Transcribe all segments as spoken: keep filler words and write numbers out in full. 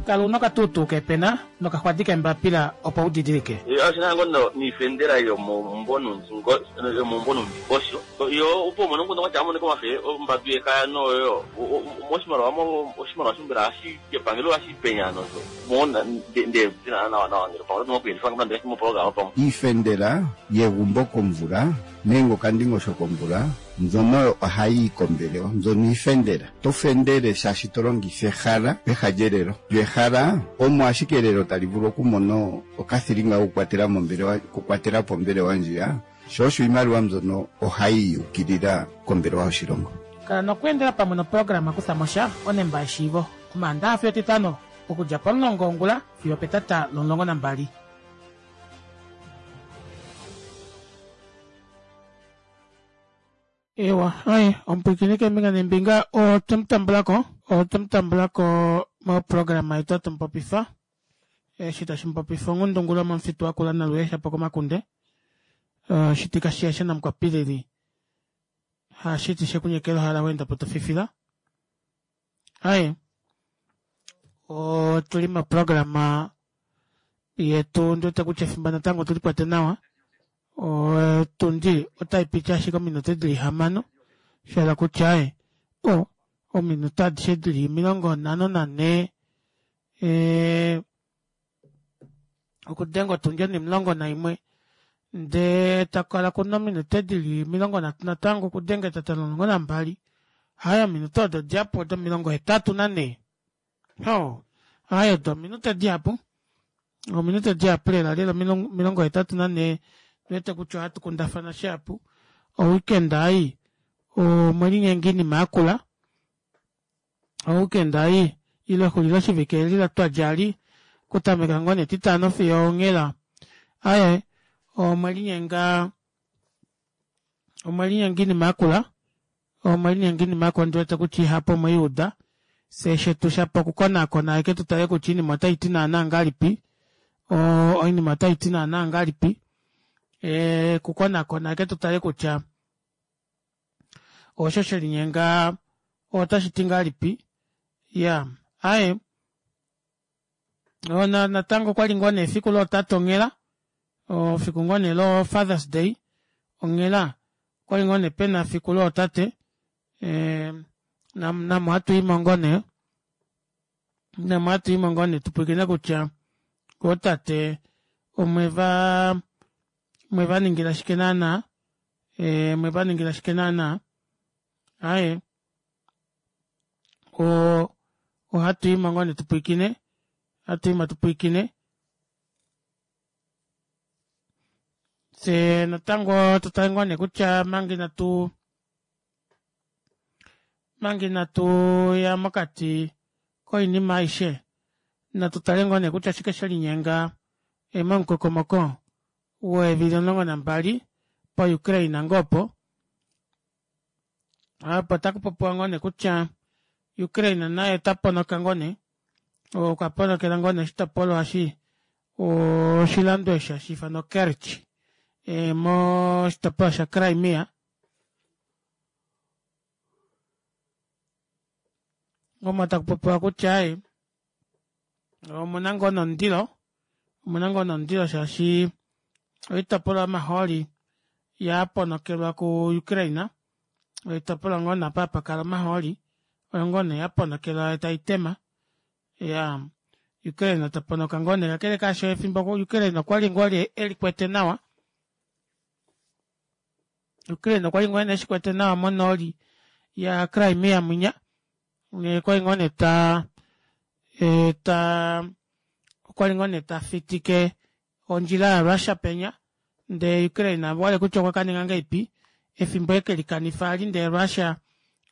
Kala una okatuutuu keepena nokaxwadi keembapila opo u didilike. Oshina ngo niifendela yomomumvo yomomumvo nomundingosho yo opo umone omukundu ngwatya amoneka omafe ombadu yekaya noyo moshimaliwa oshimaliwa shombela hashi epangelo hashi penyano mona nde nawa nawa ngele pamwe oto nokuyelifa moprograma pamwe Iifendela yegumbo komvula nenge okandingosho komvula, mbyono oyo ohayi yi kombelewa. Mbyono iifendela. Oto fendele shaashi to longitha ehala peha lyelelo. Lyo ehala omo ashike elelo tali vulu okumona okathilinga kokukwatela mo ombelewa, okukwatela po ombelewa ndjiya, sho osho iimaliwa mbyono ohayi yi yuukilila kombelewa yoshilongo. Kala nokweendela pamwe noprograma Kuthamosha onemba yeshiivo, Omaandaxa fiyo Etitano okudja pomulongo wongula fiyo opetata lomulongo nambali. Ewa, hai, omupwiikini keembinga neembinga otwemutambulako, otwemutambulako moprograma yetu atumu popifa eshi tashi mupopifa onghundungulo momufitu wakula naluye shapo komakunde shitika shiyasha namukwapilili hashiti shekunyekela ohala weenda po tofifila. Aaye, otuli moprograma yetu ndiwete kutya efimbo natango otuli kwete nawa otundi otaipiti ashike ominute dili hamano shahala kutya aaye o ominute adishe dili omilongo nhano nanhee ee okudenga otundi onimulongo naimwe ndee takukala kuna ominute dili omilongo nhatu natango okudenga etata lomulongo nambali aaye ominute odo odihapu odo omilongo hetatu nanhee hoo aaye odo ominute dihapu ominute dihapu lela lela omilongo hetatu nanhee ndiwete kutya ohatu kundafana shihapu oweekend ei omwelinyenga oinima yakula oweekend ei ile exulilo shivike eli twadja eli okutameka ngoo nee etitano fiyo onghela aaye omwelinyenga omwelinyenga oinima yakula omwelinyenga oinima yakula ondiwete kutya ihapu omweiuda fyee shetu shapo okukonaakona ashike tutale kutya oinima otaiti naana ngahelipi oinima otaiti naana ngahelipi okukonakona ashike tutale kutya osho shelinyenga otashiti ngahelipi iyaa aaye natango okwali ngoo nee efiku lootate onghela efiku ngoo nee lo fathers day onghela okwali ngoo nee pena efiku lootate namo ohatuimo ngoo nee namo ohatuimo ngoo nee tupwilikine kutya ootate omweva omwevaningila shike naana omwevaningila shike naana aaye oo ohatuimo ngoo nee tupwilikine ohatuimo tupwilikine fyee natango tutale ngoo nee kutya omanga inatu omanga inatuya mokati koinima aishe natu tale ngoo nee kutya oshike shelinyenga momukokomoko weevili omulongo nambali po ukraine ngoo opo opo takupopiwa ngoo nee kutya Ukraine naye ota ponoka ngoo nee okwa ponokela ngoo nee oshitopolwa eshi oshilando eshi hashiifanwa Kerch moshitopolwa sha Crimea omo takupopiwa kutya aaye omuna ngoo nomundilo omuna ngoo nomundilo shaashi oitopolwa yomahooli yaponokelwa ku Ukraine oitopolwa ngoo nee apa hapakala omahooli oyo ngoo nee yaponokelwa taitema iyaa Ukraine taponoka ngoo nee kakele kaasho efimbo Ukraine okwali ngoo elikwete nawa Ukraine okwali ngoo nee eshikwete nawa monooli ya Crimea mwinya okwali ngoo nee taa taa okwali ngoo nee tafitike ondjila ya Russia penya ndee Ukraine wale kutya okwa kaninga ngahelipi efimbo ekelikanifa ali ndee Russia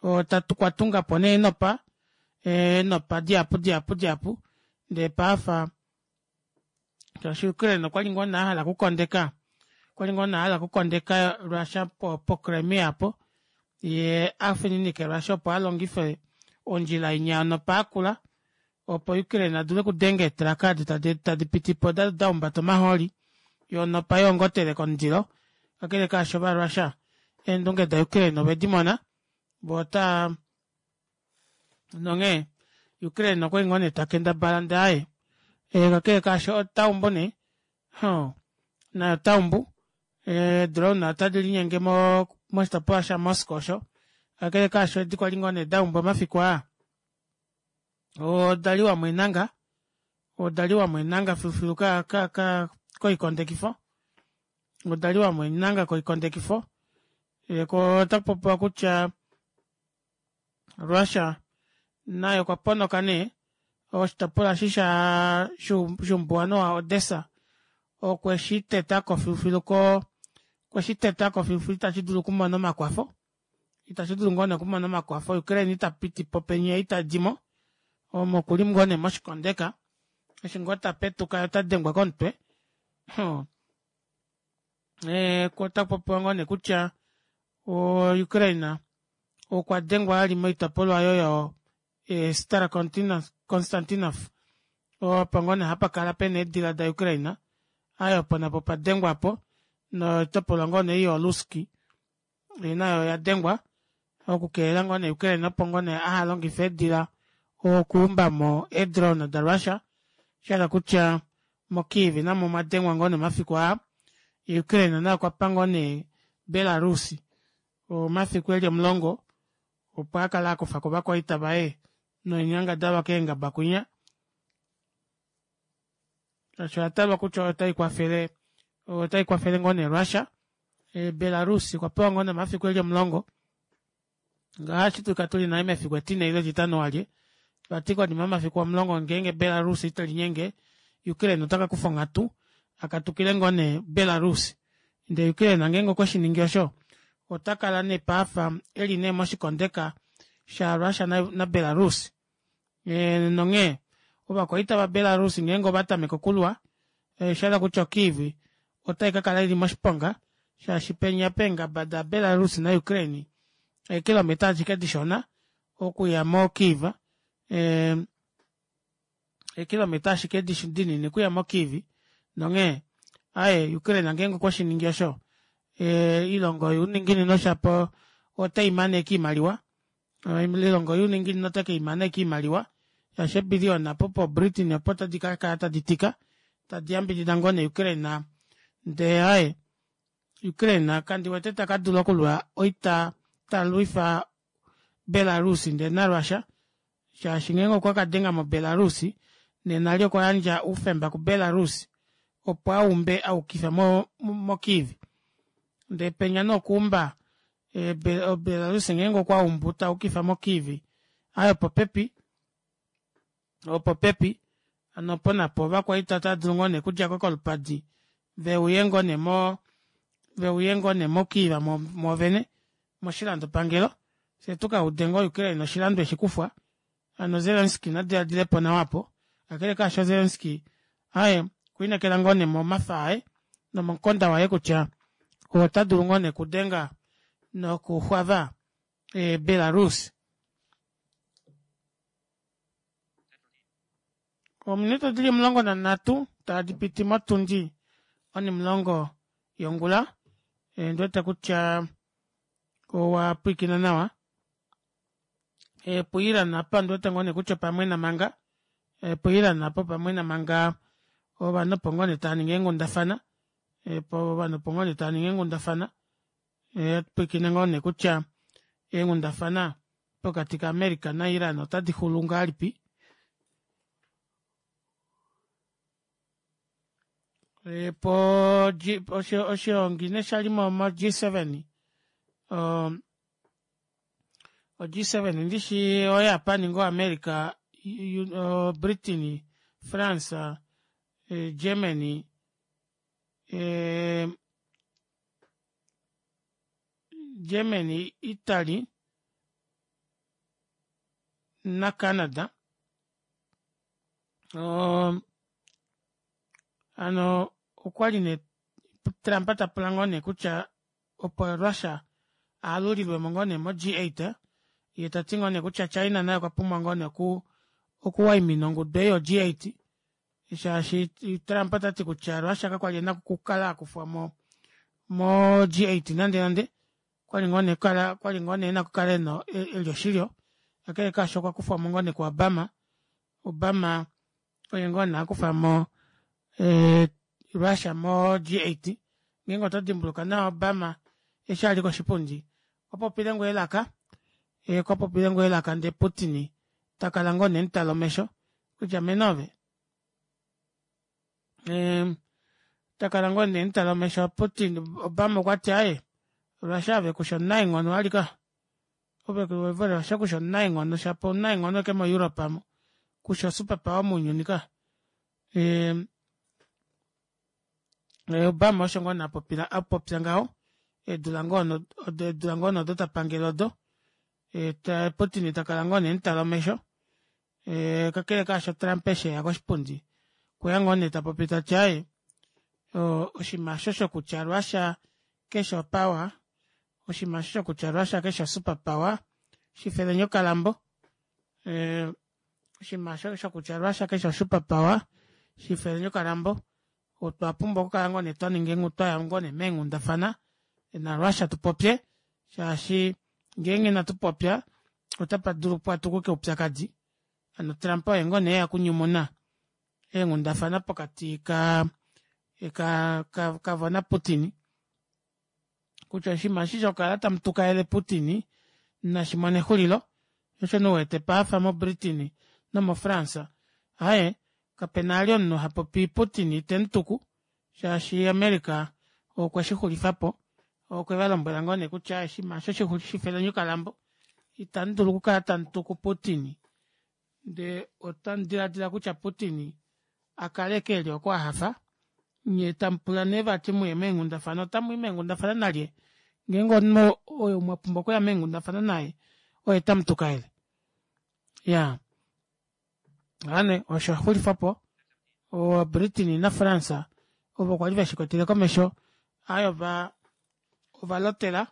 okwa tungapo nee eenopa eenopa dihapu dihapu dihapu ndee paafa shaashi Ukraine okwali ngoo nee ahala okukondeka okwali ngoo nee ahala okukondeka Russia po Crimea aapo yee afininike Russia opo alongife ondjila inya yonopa yakula opo Ukraine adule okudenga eetraka edi tadi pitipo dahumbata omahooli yoo onopa yoongotele komundilo kakele kaasho ova Russia eendunge da Ukraine ovedimona voo otaa nonghee Ukraine okwali ngoo nee takendabala ndee aaye kakele kaasho otaumbu nee hoo naye otaumbu ee drone otadi linyenge moshitopolwa sha moscow osho kakele kaasho edi kwali ngoo nee daumbwa omafiku aa odaliwamo eenanga odaliwamo eenanga filufilu koikondekifo odaliwamo eenanga koikondekifo koo otakupopiwa kutya Russia naye okwa ponoka nee oshitopolwa eshi shaa shoumbuwanhu wa odessa okwe shitetako filufilu koo okweshitetako filufilu ita shidulu okumona omakwafo ita shidulu ngoo nee okumona omakwafo ukraine itapitipo penya yeitadimo omo okuli ngoo nee moshikondeka eshi ngoo tapetuka yee otadengwa komutwe oo ee otakupopiwa ngoo nee kutya oo ukraine okwa dengwa vali moitopolwa aayo yo star constantinov opo ngoo nee hapakala pena eedila da ukraine aaye opo napo opadengwa aapo noitopolwa ngoo nee ei yoo luski nayo oyadengwa oku kelela ngoo nee ukraine opo ngoo nee ahalongife eedila okuumbamo ee drone da russia shahala kutya mo kiev namo omwadengwa ngoo nee omafiku aa ukraine naye okwapa ngoo nee belarus omafiku eli omulongo opo akale akufako ovakwaita vaye noinyangadalwa keengaba kwinya shaashi oyatalwa kutya oyo taikwafele otaikwafele ngoo nee russia belarus okwa pewa ngoo nee omafiku eli omulongo ngaashi otashi dulika tuli nale mefiku etine ile etitano walye vati konima yomafiku omulongo ngeenge belarus itelinyenge ukraine otakakufa onghatu akatukile ngoo nee belarus ndee ukraine ngeenge okweshiningi osho otakala nee afa eli nee moshikondeka sha russia na belarus nonghee ovakwaita va belarus ngeenge ovatameke okulwa oshahala kutya o kiev otaikakala ili moshiponga shaashi penya peengaba da belarus na ukraine eekilometa ashike dishona okuya mo kiev ee eekilometa ashike dinini okuya mo kiev nonghee aaye ukraine ngeenge okweshiningi osho oilongo youninginino shapo oteimane ashike oimaliwa oilongo youninginino otekeimana ashike oimaliwa shaashi eebillion opo po britain opo tadi kakala tadi tika tadi yambidida ngoo nee ukraine ndee aaye ukraine kandiwete takadula okulwa oita talwifa belarus ndee narussia shaashi ngeenge okwa kadenga mo belarus nena eli okwayandja oufemba ku belarus opo aumbe ayukifa mo kiev ndee penya nee okuumba belarus ngeenge okwaumbu tayukifa mo kiev aaye opopepi opopepi hano opo napo ovakwaita otaadulu ngoo nee okudjako kolupadi veuye ngoo nee moo veuye ngoo nee mo kiev mwoovene moshilando pangelo fyee tukaude ngoo ukraine oshilando eshikufwa hano zelensky nadilaadilepo nawa aapo kakele kaasho zelensky aaye okwiinekela ngoo nee momafa aye nomomukonda waye kutya otadulu ngoo nee okudenga noku xwava belarus. Ominute odili omulongo nanhatu tadipiti motundi onimulongo yongula ondiwete kutya owapwilikina nawa pu iran aapa ondiwete ngoo nee kutya opamwena manga pu iran aapa opamwena manga ovanhu opo ngoo nee taaningi eenghundafana ovanhu opo ngoo nee taaningi eenghundafana atupwilikine ngoo nee kutya eenghundafana pokati ka america na iran ota dixulu ngahelipi poo oshoongi nee shali mo G seven o G seven ndishi o japan ngoo america britain france germany germany italy na canada oo hano okwali nee trump tapula ngoo nee kutya opo russia aalulilwemo ngoo nee mo G eight yee tati ngoo nee kutya china naye okwa pumbwa ngoo nee okuwaimina ongudu ei yo G eight shaashi trump otati kutya russia kakwali ena okukala akufwamo mo G eight nande nande okwali ngoo nee ena okukala eli oshilyo kakele kaasho okwa kufwamo ngoo nee ku obama Obama oye ngoo nee akufamo ee Russia mo G eight ngeenge oto dimbuluka nawa obama eshi ali koshipundi okwa popile ngoo elaka okwa popile ngoo elaka ndee putin takala ngoo nee emutala omesho kutya mene ove ee takala ngoo nee emutala omesho putin obama okwati aaye russia ove kushi omunaenghono alika ove russia kushi omunaenghono shapo omunaenghono ashike mo europe aamo kushi o super power mounyuni kaya ee obama osho ngoo nee apopya ngaho eedula ngoo nee odo tapangele odo yee putin takala ngoo nee emutala omesho ee kakele kaasho trump eshi eya koshipundi okweya ngoo nee tapopi tati aaye oshinima aasho shokutya russia kefi o power oshinima aasho shokutya russia kefi o super power shifeleni okalambo ee oshinima aasho shokutya russia kefi o super power shifeleni okalambo otwa pumbwa okukala ngoo nee twaninga twaya ngoo nee meenghundafana na russia tupopye shaashi ngeenge ina tupopya ota padulu patukuke oupyakadi hano trump oye ngoo nee eya okunyumuna eenghundafana pokati kaa kavo na putin kutya oshinima eshi shokukala tamutukaele putin nashimone exulilo shoo osho nee uwete paife mo britain nomo france aaye kapena vali omunhu hapopi putin temutuku shaashi america okwe shixulifapo okwe valombwela ngoo nee kutya oshinima aasho shifeleni okalambo ita mudulu okukala tamutuku putin ndee otamudilaadila kutya putin akale ashike eli oko ahafa nyee tamupula nee vati muye meenghundafana otamwii meenghundafana nalye ngeenge omunhu oo mwapumbwa okuya meenghundafana naye oye tamutukaele iyaa ovanhu osho shaxulifwapo o britain na france ovo kwali veshikwetele komesho aaye ovaa ovalotela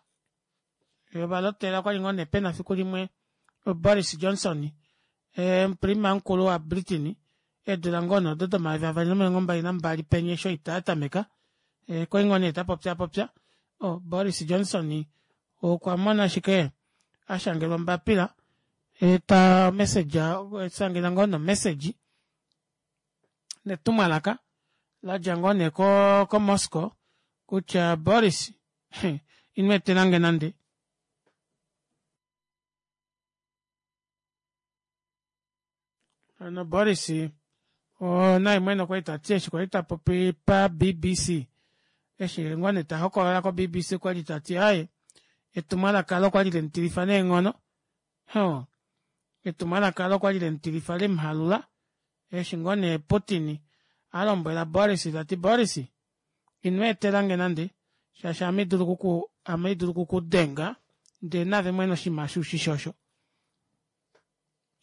ovalotela okwali ngoo nee pena efiku limwe boris johnson omuprima mukulu wa britain eedula ngoo nee odo domayovi avali nomilongo mbali nambali penya eshi oita yatameka okwali ngoo nee tapopyaapopya oo boris johnson okwamona ashike ashangelwa ombapila o message ashangelwa ngoo nee o message netumwalaka ladja ngoo nee ko moscow kutya boris ino etelange nande hano boris naye mwene okwali tati eshi kwali tapopi pa bbc eshi ngoo nee tahokolola ko bbc okwali tati aaye etumwalaka aalo okwali lemutilifa neenghono oo etumwalaka aalo okwali lemutilifa lemuhalula eshi ngoo nee putin alombwela boris tati boris ino etelange nande shaashi ame haidulu okukudenga ndee naave mwene oshinima aasho ushishi osho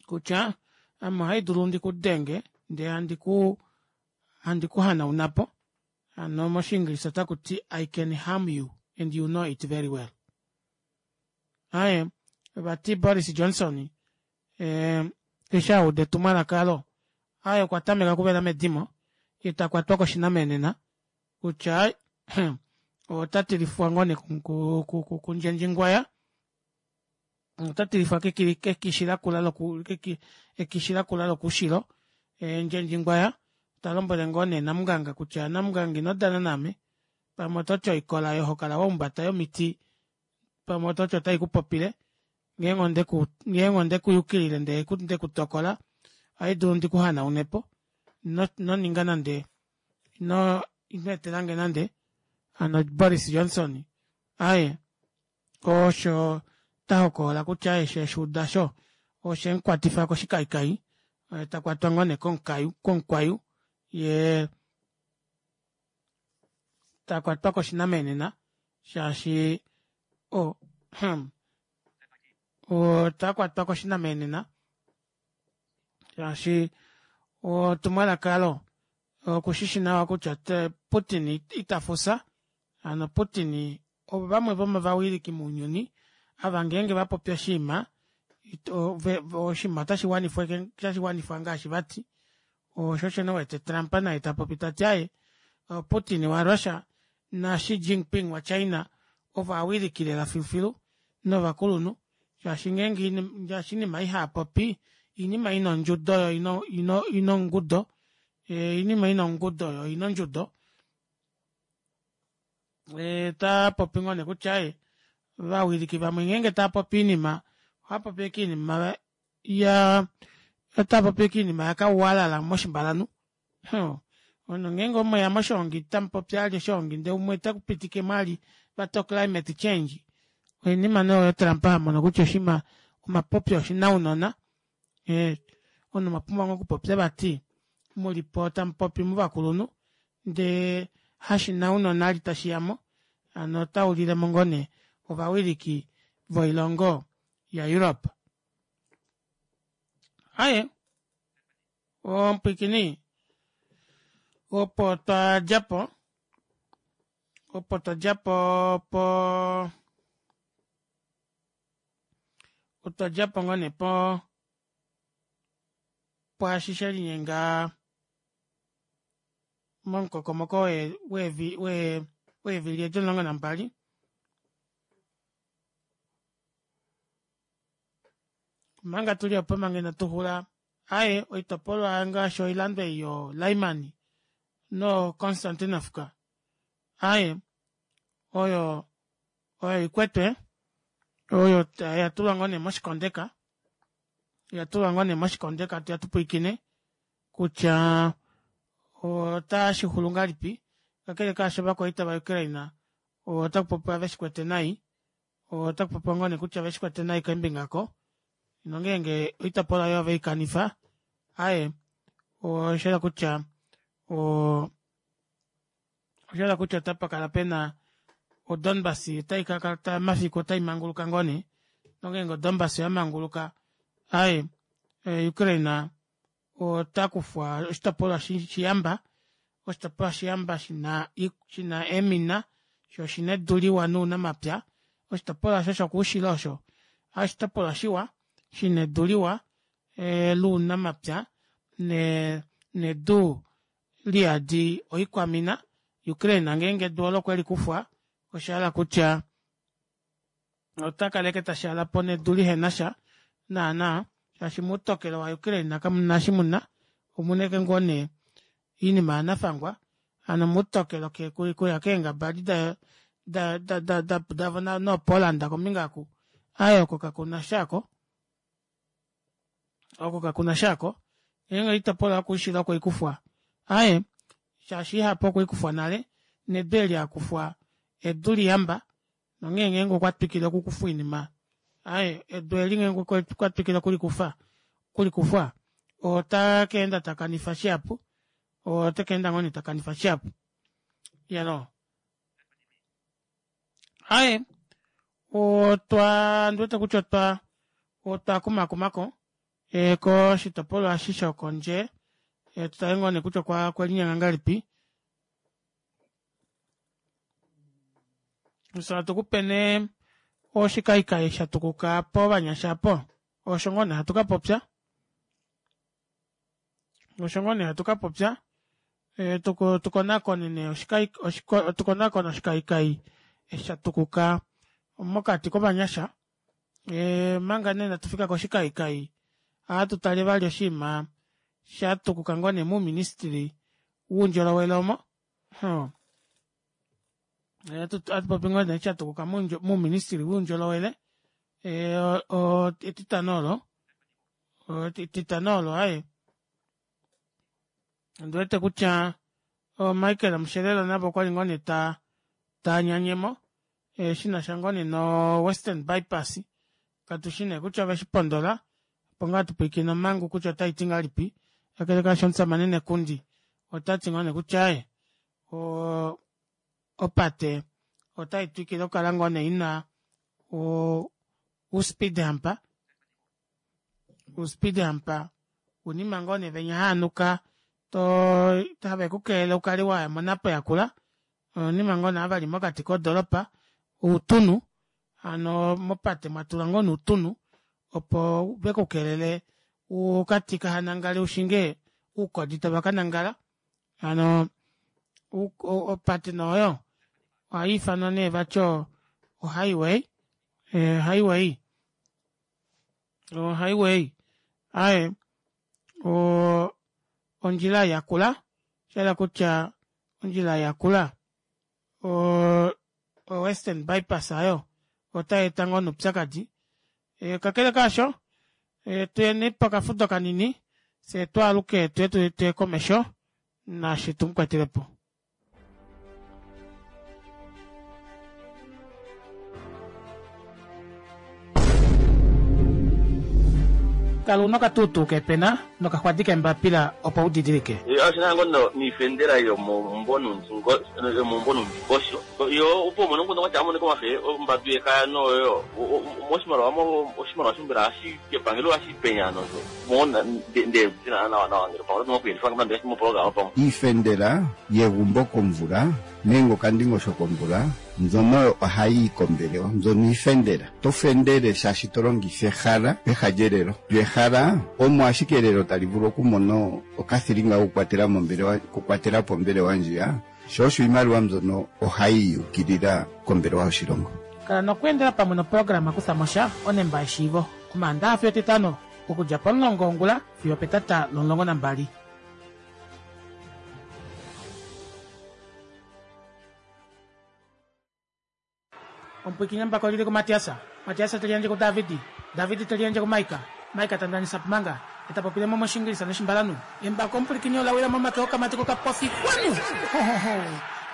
kutya ame ohaidulu ndikudenge ndee handi kuhanaunapo hano moshingilisha otakuti i can harm you and you know it very well aaye vati boris johnson eshi auda etumwalaka aalo aaye okwa tameka okuvela medimo yee takwatwa koshinamenena kutya aaye otatilifwa ngoo nee kundjendjingwaya otatilifwa kekishi lakula ekishi lakula lokoushilo ndjendjingwaya talombwele ngoo nee namunganga kutya namunganga inodana naame pamwe ototi oikola oyo hokala wahumbata yomiti pamwe ototi ota ikupopile ngeenge ondekuyukilile ndee ndekutokola ohaidulu ndikuhanaunepo inoninga nande ino etelange nande hano boris johnson aaye osho tahokolola kutya eshi eshuuda aasho oshemukwatifa koshikayikai takwatwa ngoo nee komukwayu yee takwatwa koshinamenena shaashi oo otakwatwa koshinamenena shaashi etumwalaka aalo okushishi nawa kutya putin ita fusha hano putin ovo vamwe vomovawiliki mounyuni ava ngeenge vapopi oshinima oshinima ota shiwanifwa ngaashi vati shoo osho nee uwete trump naye tapopi tati aaye putin wa russia na xi jingping wa china ovo ovawiliki lela filufilu novakulunhu shaashi ngeenge oinima ei haapopi Oinima ina ondjudo yoo oina ongudo oinima ina ongudo yoo oina ondjudo otaapopi ngoo neekutya aaye ovawiliki vamwe ngeenge taapopi oinima ohaapopi ashike oinima yaa otaapopi ashike oinima yakauwalala moshimbalanhu huh omunhu ngeenge mweya moshoongi tamupopi vali oshoongi ndee umwe temupitikemo vali vati o climate change oinima nee oyo trump amono kutya oshinima omapopyo oshinaunona ee omunhu omwapumbwa ngoo okupopya vati mulipo tamupopi muvakulunhu ndee hashinaunona vali tashiyamo hano otaulilemo ngoo nee ovawiliki voilongo ya europe. Aaye omupwiikini opo twadjapo opo twadjapo poo otwadjapo ngoo nee poo pwaashi shelinyenga momukokomoko wee wee weevili edi omulongo nambali omanga tuli oopo manga ina tuxula aaye oitopolwa ngaashi oilando ei yoo lyman no constantinovka aaye oyo oikwetwe oyo oyatulwa ngoo nee moshikondeka oyatulwa ngoo nee moshikondeka atuya tupwiikine kutya otashixulu ngahelipi kakele kaasho ovakwaita va ukraine otakupopiwa veshikwete nai otakupopiwa ngoo nee kutya oveshikwete nai keembinga aako nongenge oitopolwa aayo oveikanifa aaye oshayela kutya oo oshayela kutya otapakala pena o donbass otaikakala mafiku otaimanguluka ngoo nee nongenge o donbass oyamanguluka aaye ukraine otakufwa oshitopolwa shiyamba oshitopolwa shiyamba shina shina eemina shoo oshina edu liwa nounamapya oshitopolwa aasho shokoushilo osho oshitopolwa shiwa shina edu liwa lounamapya nedu liyadi oikwamina ukraine ngeenge edu oolo okwelikufwa oshahala kutya otakala ashike tashaalapo nedu lihenasha naana shaashi moutokelo wa ukraine kamuna eshi muna omuna ashike ngoo nee oinima yanafangwa hano moutokelo okuya keengaba edi da da davo no poland kombinga oku aaye oko kakunasha aako oko kakunasha aako ngeenge oitopolwa yokoushilo okweikufwa aaye shaashi ihapu okweikufwa nale nedu eli akufwa edu liyamba nonghee ngeenge okwatwikile okukufwa oinima aaye edu eli ngeenge okwatwikile okulikufa okulikufwa otakeenda takanifa shihapu otekeenda ngoo nee takanifa shihapu iyaloo aaye otwa ondiwete kutya otwa otwakumakumako koshitopolwa eshi shokondje tutale ngoo nee kutya okwelinyenga ngahelipi fyee hatukupe nee oshikayiikayi shatukuka povanyasha aapo osho ngoo nee hatu kapopya osho ngoo nee hatu kapopya tukonakone nee tukonakone oshikayiikayi eshi shatukuka mokati kovanyasha omanga nee inatufika koshikayiikayi ohatutale vali oshiima shatukuka ngoo nee mouministry woundjolowele omo hoo ohatupopi ngoo nee eshi shatukuka mouministry woundjolowele etitano oolo etitano oolo aaye ondiwete kutya michael amushelelo navo okwali ngoo nee taanyanyemo shinasha ngoo nee no western bypass katushi nee kutya oveshipondola opo ngoo hatupwiikine omangu kutya otaiti ngahelipi kakele kaasho omushamane nekundi otati ngoo nee kutya aaye oo opate otaitwikile okukala ngoo nee ina uu speed hump uu speed hump uunima ngoo nee venya haanuka too have kukelele ukale waya monapo yakula ounima ngoo nee ava veli mokati kodoropa outunhu hano mopate mwatulwa ngoo nee outunhu opo vekukelele ukati kahanangale ushinge oukodi tava kanangala hano opate nee oyo ohaiifanwa nee vati o highway highway o highway Aaye o ondjila yakula shahala kutya ondjila yakula o western bypass aayo otayeeta ngoo nee oupyakadi kakele kaasho tuyeni pokafudo kanini fyee twaaluke tuye tuye komesho naashi tumukwetelepo. Kala una okatuutuu kepena nokaxwadi kembapila opo udidilike. Oshina ngoo niifendela yomomumvo nomundingosho yo opo umone omukundu kwatya amonike omafe ombadu yekaya noyo moshimaliwa oshimaliwa shombela hashi kepangelo hashi penya nosho mona nde nawa nawa ngele pamwe oto kuyelifa moprograma pamwe. Iifendela yegumbo komvula nenge okandingosho komvula mbyono ohayi kombelewa, mbyono iifendela. To fendele shaashi to longitha ehala peha lyelelo. Lyo ehala omo ashike elelo tali vulu okumona okathilinga kokukwatela mombelewa, okukwatela po ombelewa ndjiya, sho osho iimaliwa mbyono ohayi yukilila kombelewa yoshilongo. Kala nokweendela pamwe noprograma kutha mosha onemba yeshiivo omaandaxa fiyo etitano okudja pomulongo wongula fiyo petata lomulongo nambali. Omupwikinye mbako lili kuMatiasa, Matiasa teliandje kuDavidi, Davidi teliandje kuMaika, Maika tandanisa pumanga, eta popile mo moshingilisa noshimbalanu. Embako omupwikinye olawila momake okamati kokapofi kwanu!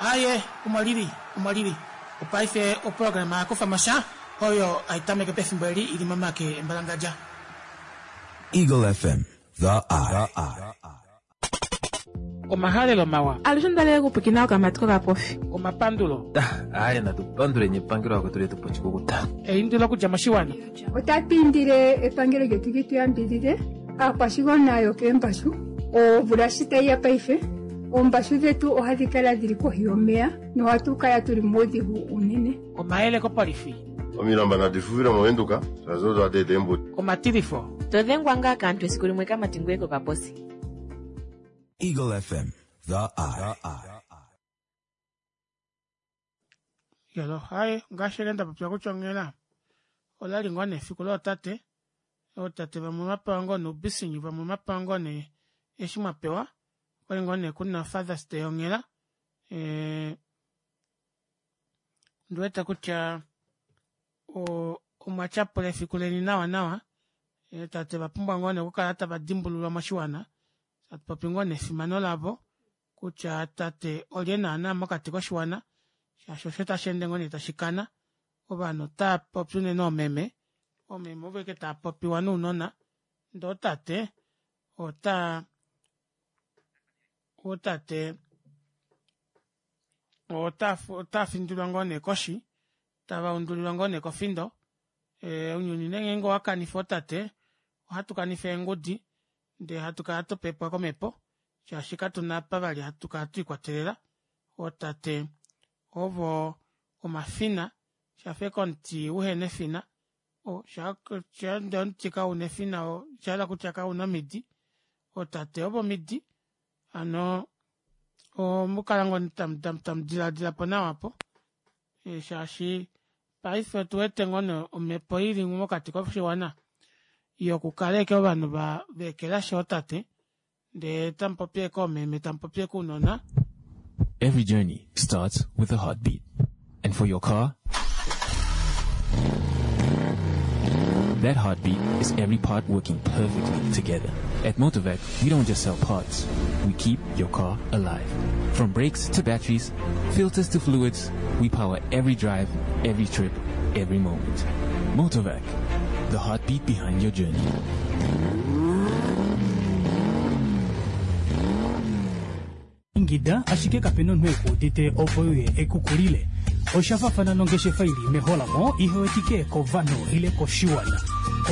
Aye, omo lili, omo lili. Opaife oprograma yakufa mosha oyo aitameke pefimbo eli ili momake embalangadja. Eagle F M, The Eye. Omahalelo mawa. Alushe ndalele kupwikina okamati kokapofi. Omapandulo. Aye, natupandule nepangelo lako letu pochikukuta. Eindilo okudja moshiwana. Otatu indile epangelo lyetu li tu yambidide aakwashigwana yokeembashu omvula shi tayi ya paife oombashu dhetu ohadhi kala dhili kohi yomeya nohatu kala tuli muudhigu unene. Omayele kopolifi. Omilamba nadi fuvile movenduka shazo adede embuti. Omatilifo. Todhengwa ngaa kaantu esiku limwe kamati ngoye kokaposi. Eagle F M, The Eye. Yalo, hai, ngaashi nda popya kutya onghela olali ngoo nefiku lootate, ootate vamwe vapewa ngoo noubisinyu, vamwe vapewa ngoo nee eshi mwapewa, okwali ngoo nee kuna Father's Day onghela. Ondiwete kutya omwa tyapula efiku leni nawa nawa, tate vapumbwa ngoo nee okukala tava dimbululwa moshiwana, tatupopi ngoo nefimano lavo kutya tate olye naana mokati koshiwana, shaashi osho tashi ende ngoo nee tashi kana, ovanhu otava popi unene oomeme, oomeme ovo ashike tava popiwa nounona, ndee otate ota otate ota findilwa ngoo nee koshi, tava undulilwa ngoo nee kofindo. Ounyuni ngeenge owakanifa otate, ohatu kanifa eengudi, ndee hatu kala twapepwa komhepo, shaashi katuna apa vali hatu kala twiikwatelela. Ootate ovo omafina, shafa ashike omuti uhena efina, ndee omuti kauna efina oshahala kutya kauna omidi, ootate ovo omidi, hano omukala ngoo tamudilaadilapo nawa aapo, shaashi paife otuwete ngoo nee omhepo ili mokati koshiwana yokukala ashike ovanhu veekelashi ootate, ndee tamupopi ashike oomeme, tamupopi ashike ounona. Every journey starts with a heartbeat. And for your car, that heartbeat is every part working perfectly together. At Motorvac, we don't just sell parts. We keep your car alive. From brakes to batteries, filters to fluids, we power every drive, every trip, every moment. Motorvac, the heartbeat behind your journey. Ingida ashike kapena omunhu ekuudite opo uye ekukulile. Oshafafana nongeshefa ili meholamo ihewetike kovanhu ile koshiwana.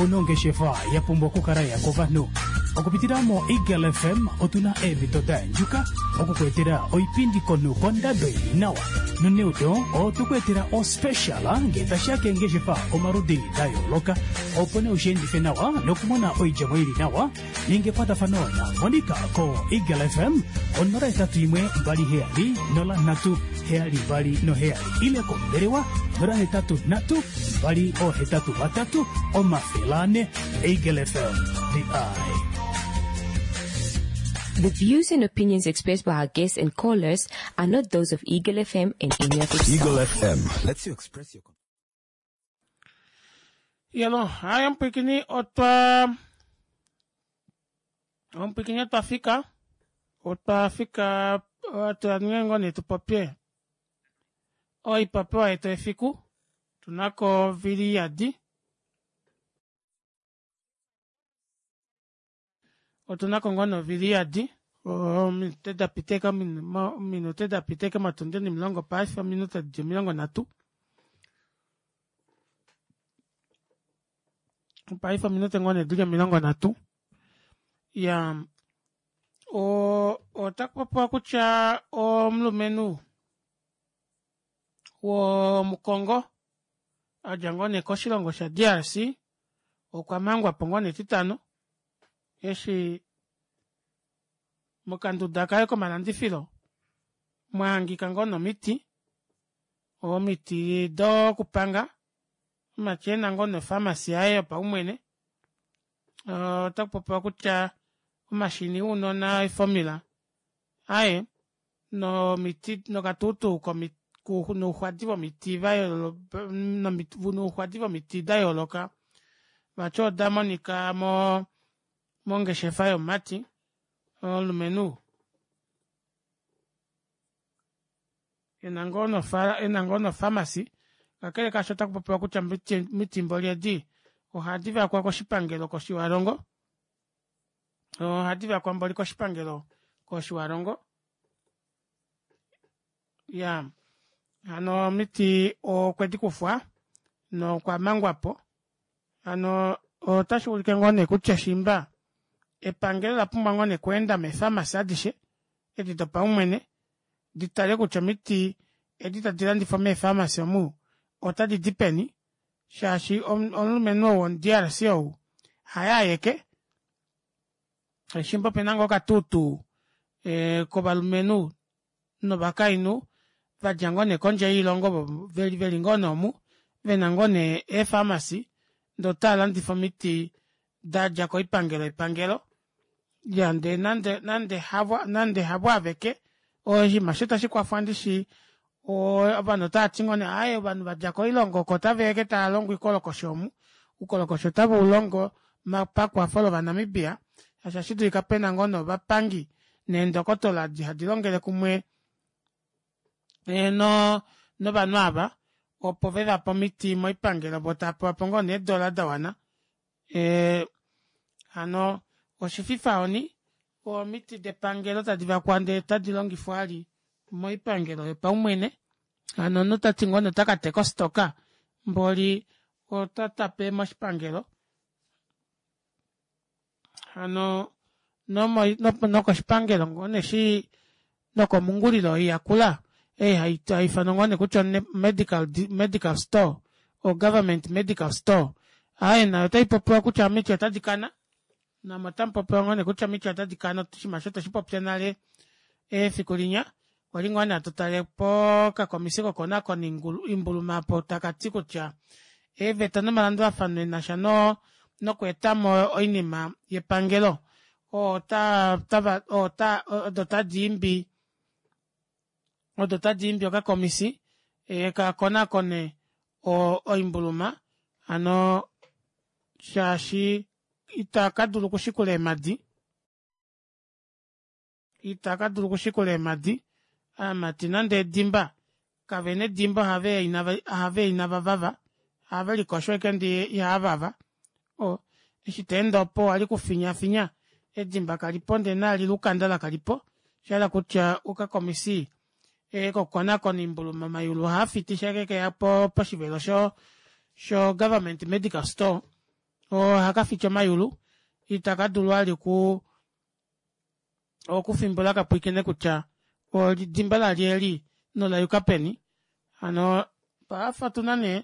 Onongeshefa ya pumbwa okukala ya kovanhu. Okupitila mo Eagle F M otuna eemhito da andjuka Okukuetela oipindi komunhu kondado ili nawa. Noneudo otukuetela ospeciala ngee tashiya keengeshefa omaludi da yooloka opo nee ushiendife nawa nokumona oidjemo ili nawa ninga ekwatafano na Monica ko Eagle F M onola hetatu imwe mbali heyali nola nhatu heyali mbali noheyali ile kombelewa nola hetatu nhatu mbali ohetatu vatatu omafele ane. Eagle F M, the eye. The views and opinions expressed by our guests and callers are not those of Eagle F M and any of its Eagle staff. F M lets you express your... Yelo, haya mpwikini otwa... Ompwikini otwa fika. Otwa fika... Otwa ngengo ni tupopye. Oipapewa yetu efiku. Tunako vili yadi. Otunako ngono vili yadi. Ominute da piteka, ominute da piteka matunde ni milongo paife, ominute di milongo natu. Paife ominute ngone dili milongo natu. Ya, o, otakupopiwa kutya omulumenhu womukongo adja ngoo koshilongo sha D R C okwa mangwa po ngoo netitano eshi mokanduda kaye komalandifilo mwahangika ngoo nomiti, omiti dokupanga omachena ngoo nofamasi yaye yopaumwene. Otakupopiwa kutya omashini uunona eformula aye nomiti nokatutu komiti nouxwadi vomiti vayooloka, nouxwadi vomiti dayooloka vati oda monika mo mongeshefa yomumati omulumenhu ena ngoo nofamasi. Kakele kaasho otakupopiwa kutya mitimbo lyedi ohadi vakwa koshipangelo kOshiwalongo, ohadi vakwa mboli koshipangelo kOshiwalongo. Ya, hano omiti okwe di kufwa nokwa mangwapo. Hano otashi ulike ngoo nee kutya shimba epangelo la pumbwa ngoo nee okweenda meefamasi adishe edi dopaumwene ditale kutya omiti edi tadi landifwa meefamasi omu otadi di peni, shaashi omulumenhu ou womu D R C ou haye ayeke. Shimba opena ngoo okatutu kovalumenhu novakainhu vadja ngoo nee kondje yoilongo veli ngoo nee omu vena ngoo nee eefamasi ndee otaalandifa omiti dadja koipangelo yepangelo. Ya, ndee nande, nande havo, nande havo aveke, oshinima osho tashi kwafwa ndishi ovanhu otavati ngoo nee aaye ovanhu vadja koilongo oko otaveya ashike taalongo oikolokosho omu, oukolokosho otave ulongo pakwafo lovanamibia, shaashi ohashi dulika pena ngoo nee ovapangi neendokotola adi hadi longele kumwe no novanhu ava opo vevape omiti moipangelo vo taapewapo ngoo nee eedola dawana. Hano oshififa oni omiti depangelo tadi vakwa ndee tadi longifwa ali moipangelo yopaumwene. Hano omunhu tati ngoo nee otakateka ostoka mboli otatape moshipangelo. Hano nokoshipangelo ngoo nee shi nokomungulilo oiyakula ei haifanwa ngoo nee kutya medical, medical store o government medical store, aaye nayo otaipopiwa kutya omiti otadi kana, namo otamupopiwa ngoo nee kutya omiti otadi kana, oshinima osho tweshipopya nale efiku linya kwali ngoo nee hatu tale pokakomisi kokonakona imbuluma apo takati kutya eeveta nomalandulafano enasha nokweetamo oinima yepangelo ota ota odo tadiimbi odo tadiimbi okakomisi kakonakone oimbuluma, hano shaashi itakadulu okushikula eemadi, itakadulu okushikula eemadi aamati nande edimba kavena edimba, ohaveya inava vava, ohave likosho ashike ndee ihaavava. O eshi teende opo wali kufinyafinya edimba kalipo ndee naali lukanda lakalipo, oshahala kutya okakomisi kokukonakona oimbuluma omayulu ohaafiti shake keya poshivelo sho sho government medical store ohakafiti omayulu, itakadulu vali ku Okufimbula kapwiikine kutya olidimba lalyeli nolayuka peni hano paife otuna nee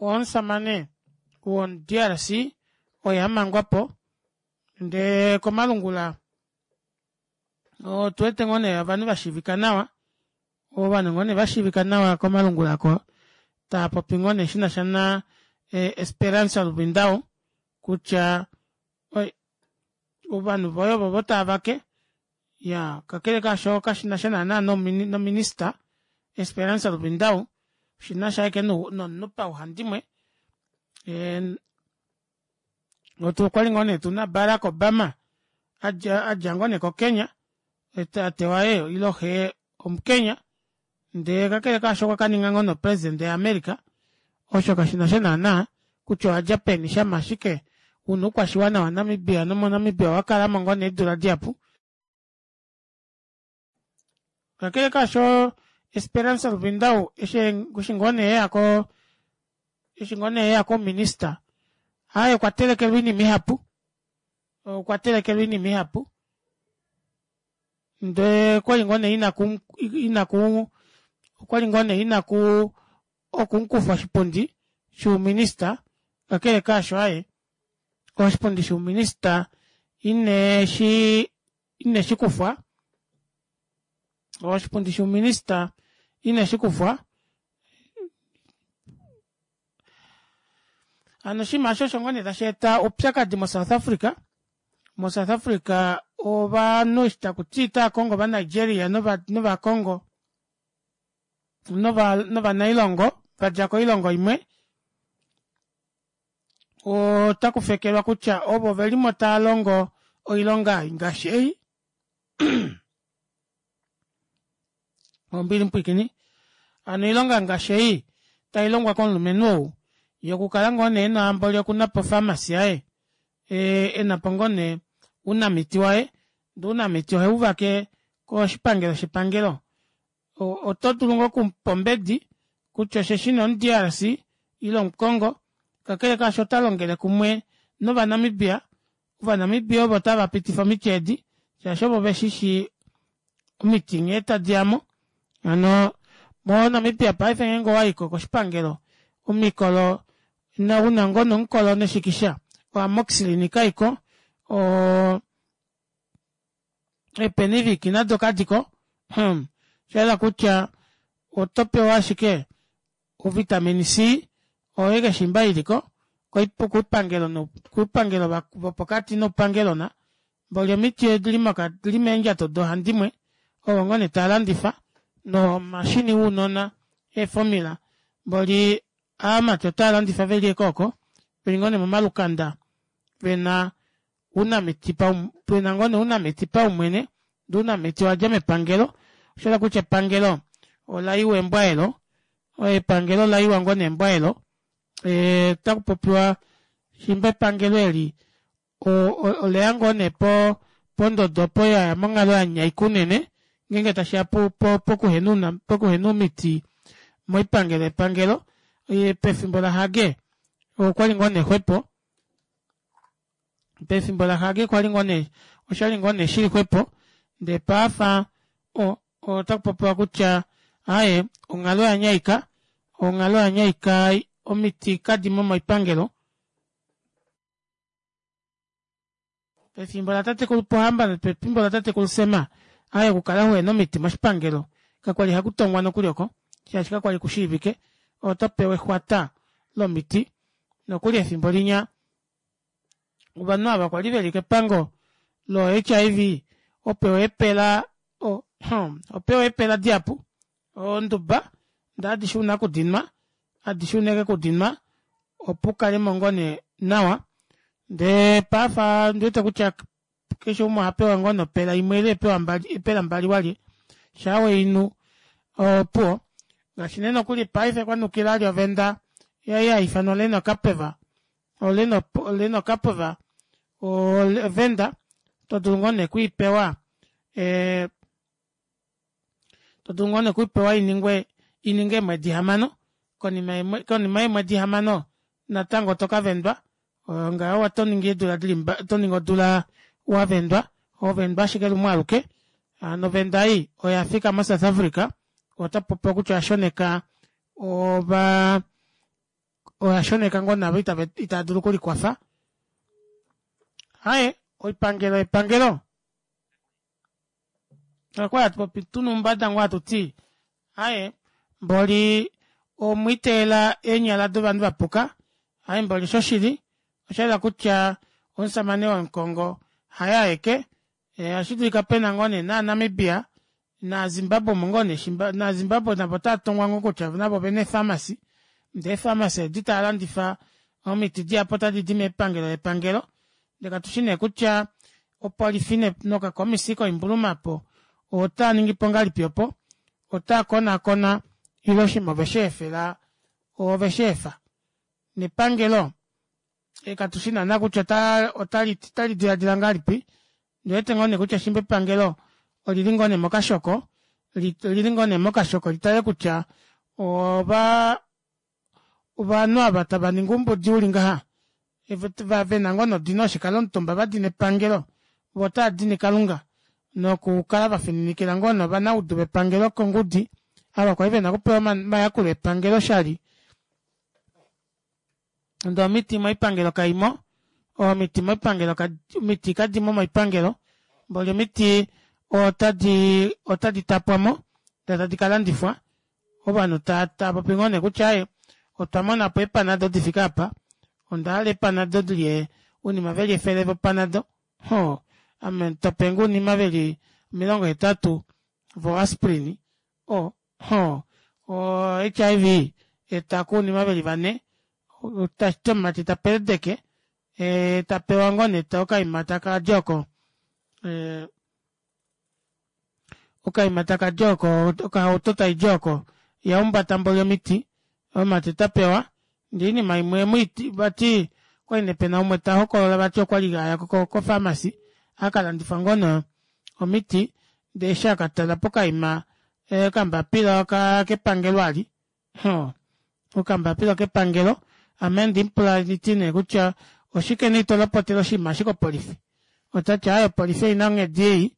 omushamane womu D R C oye amangwapo ndee komalungula otuwete ngoo nee ovanhu vashiivika nawa ovanhu ngoo nee vashiivika nawa komalungula aako taapopi ngoo nee shinasha na esperance luvindao kutya ovanhu voye ovovo taavake iyaa kakele kaasho kashinasha naana nominister esperance luvindao oshinasha ashike nomunhu pauhandimwe okwali ngoo nee tuna barack obama adja ngoo nee ko kenya tate waye ile xee omukenya ndee kakele kaasho okwakaninga ngoo nee opresident ya america osho kashinasha naana kutya owadja peni shama ashike una oukwashiwana wa namibia nomo namibia owakalamo ngoo nee eedula dihapu kakele kaasho esperance luvindao eshi ngoo nee eya koo eshi ngoo nee eya kouminister aaye okwa telekelwa oinima ihapu okwa telekelwa oinima ihapu ndee okwali ngoo nee inaku okwali ngoo nee inakuu okumukufa oshipundi shouminister kakele kaasho aaye oshipundi shouminister ineshi ineshikufwa oshipundi shouminister ineshikufwa hano oshinima aasho osho ngoo nee tasheeta oupyakadi mo south africa mo south africa ovanhu eshi takuti otaakongo ova nigeria novakongo novanailongo vadja koilongo imwe otakufekelwa kutya ovo velimo taalongo oilonga ngaashi ei ombili mupwiikini hano oilonga ngaashi ei tailongwa komulumenhu ou yokukala ngoo nee ena mboli okunapo opharmacy yaye enapo ngoo nee ounamiti waye ndee ounamiti oheuvake koshipangelo shepangelo otodulu ngoo okumupa ombedi kutya osheshi nee omu D R C ile omukongo kakele kaasho otalongele kumwe nova namibia ovanamibia ovo tava pitifa omiti eedi shaashi ovo veshishi omiti nghee tadiyamo hano mo namibia paife ngeenge owayiko koshipangelo omikolo una ngoo nee omukolo neshikisha o amoxilin kaiko oo ee penivik nado kadiko hmm oshahala kutya otopewa ashike o vitamin C oyo ashike shiimba iliko koupangelo koupangelo vopokati noupangelona mboli omiti odili meendjato doohandimwe ovo ngoo nee taalandifa nomashini wounona ee formula mboli ovamati otavalandifa veli ashike ooko veli ngoo nee momalukanda vena ounamiti pena ngoo nee ounamiti paumwene ndee ounamiti owadja mepangelo oshahala kutya epangelo olaiwa embwa eelo epangelo olaiwa ngoo nee embwa eelo otakupopiwa shiimba epangelo eli oleya ngoo nee pondodo opo yaya monghalo yanyaika unene ngeenge tashiya pokuhena omiti moipangelo yepangelo pefimbo la hage okwali ngoo nee xwepo pefimbo la hage kwali ngoo nee oshali ngoo nee shili xwepo ndee paife otakupopiwa kutya aaye onghalo oyanyaika onghalo oyanyaika omiti kadimo moipangelo pefimbo latatekulu pohamba nopefimbo latatekulu sam aaye okukala uhena omiti moshipangelo kakwali hakutongwa nokuli oko shaashi kakwali kushiivike otopewa exwata lomiti nokuli efimbo linya ovanhu ava kwali veli kepango lo H I V opewa eepela opewa eepela dihapu onduba ndee adishe ouna okudinwa adishe ouna ashike okudinwa opo ukalemo ngoo nee nawa ndee paife ondiwete kutya keshe umwe ohapewa ngoo nee opela imwe ile eepela mbali walye shaa weinu opuwo ngaashi nee nokuli paife kwanukila vali ovenda ei haifanwa lenokapeva lenokapeva ovenda todulu ngoo nee okwiipewa ee todulu ngoo nee okwiipewa iningwe ininge eemwedi hamano konima yeemwedi hamano natango tokavendwa ngaho otoningi eedula dili otoningi odula wavendwa Ovendwa ashike lumwe aluke hano ovenda ei oyafika mo South Africa otapopiwa kutya oyashoneka ova oyashoneka ngoo naavo itaadulu okulikwafa. Aaye oipangelo yepangelo okwali hatupopi tuna oumbada ngoo hatuti aaye mboli omwiiteyela eenyala dovanhu vapuka aaye mboli oshoshili oshayela kutya omushamane womukongo haye aeke ohashidulika pena ngoo nee nova namibia naa zimbabwe omo ngoo nee na zimbabwe navo otaatongwa ngoo kutya navo ovena ee pharmacy ndee ee pharmacy edi taalandifa omiti dihapu otadidi moipangelo yepangelo ndee katushi nee kutya opolifi nokakomisi koimbuluma aapo otaaningipo ngahelipi opo otaakonaakona ile oshinima ovesheefela ovesheefa nepangelo katushi naana kutya otali dilaadila ngahelipi ondiwete ngoo nee kutya shiimba epangelo olili ngoo nee mokashoko olili ngoo nee mokashoko litale kutya ovaa ovanhu ava tavaningi oumbudi uli ngaha vena ngoo nodino yoshikalomutumba vadina epangelo voo otaadini kalunga nokukala vafininikila ngoo nee ovanaudu vepangelo kongudi ava kwali vena okupewa omayakulo epangelo oshali ndee omiti moipangelo kaimo omiti moipangelo omiti kadimo moipangelo mboli omiti otadi otadi tapwamo ndee tadi kalandifwa ovanhu taapopi ngoo neekutya aaye otwamonapo eepanado difike aapa ondahala eepanado dili ounima veli efele vo panado hoo ame topenge ounima veli omilongo hetatu vo asprin oo hoo o H I V etako ounima veli vanhe tashiti omumati tapeledeke tapewa ngoo nee okaima takadi oko ee okaima takadi oko okahauto taidi oko yaumbata mboli omiti omumati otapewa ndee oinima imwe vati okwali nee pena umwe tahokolola vati okwali aya ko pharmacy akalandifa ngoo nee omiti ndee eshi akatala pokaima okambapila kepangelo ali hoo okambapila okepangelo ame handimupula nditi nee kutya oshike nee itolopotele oshinima eshi kopolifi otati aaye opolifi oina onghedi ei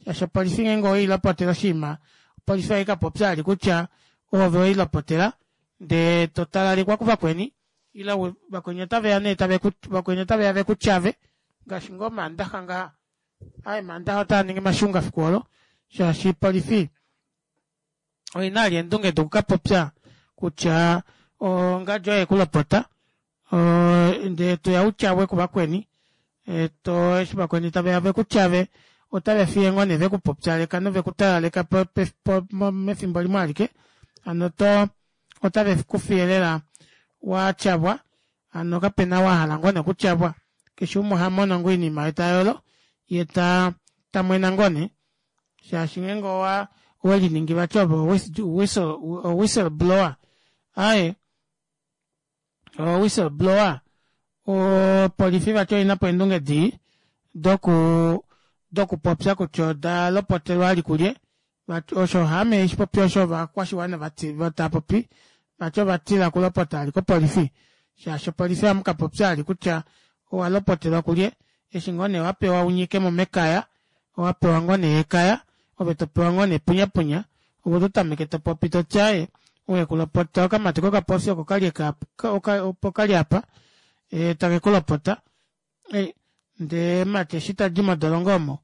shaashi opolifi ngeenge oweilopotele oshinima opolifi ohaikapopya vali kutya oove weilopotela ndee totalalikwa kuvakweni ile vakweni otaveya nee vakweni otaveya vekutyave ngaashi ngoo omandaxa ngaha aaye omandaxa otaaningi mashunga efiku oolo shaashi opolifi oina vali eendunge dokukapopya kutya ongadi oye ekulopota ndee toya utyavwe kuvakweni eshi vakweni taveya vekutyave otavefiye ngoo nee vekupopyaleka novekutalaleka mefimbo limwe alike hano otavekufiye lela watyavwa hano kapena ou ahala ngoo nee okutyavwa keshe umwe ohamono ngoo oinima yee tayolo yee tamwena ngoo nee shaashi ngeenge owa oweliningi vati ove o whistle blower aaye o whistle blower opolifi vati oinapo eendunge dii doku dokupopya kutya odalopotelwa vali kulye osho haame haishipopi osho ovakwashiwana taapopi vati ovatila okulopota vali kopolifi shaashi opolifi ohamukapopya vali kutya owalopotelwa kulye eshi ngoo nee wapewa unyikemo mekaya owapewa ngoo nee ekaya ove topewa ngoo nee punyapunya ove ototameke topopi toti aaye ou ekulopota okamati kokapofi oko kali opo kali aapa takekulopota ndee omumati eshi tadi modolongo omo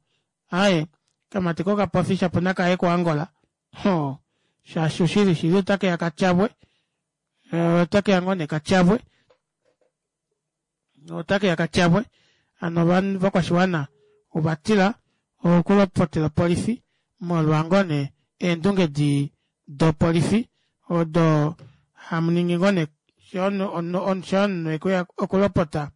aaye okamati kokapofi shapo nakaye ko angola hoo shaashi oshili shili otakeya katyavwe otakeya ngoo nee katyavwe otakeya katyavwe hano ovakwashiwana ovatila okulopotela opolifi molwa ngoo nee eendunge dii dopolifi odo hamuningi ngoo nee shaa omunhu ekuya okulopota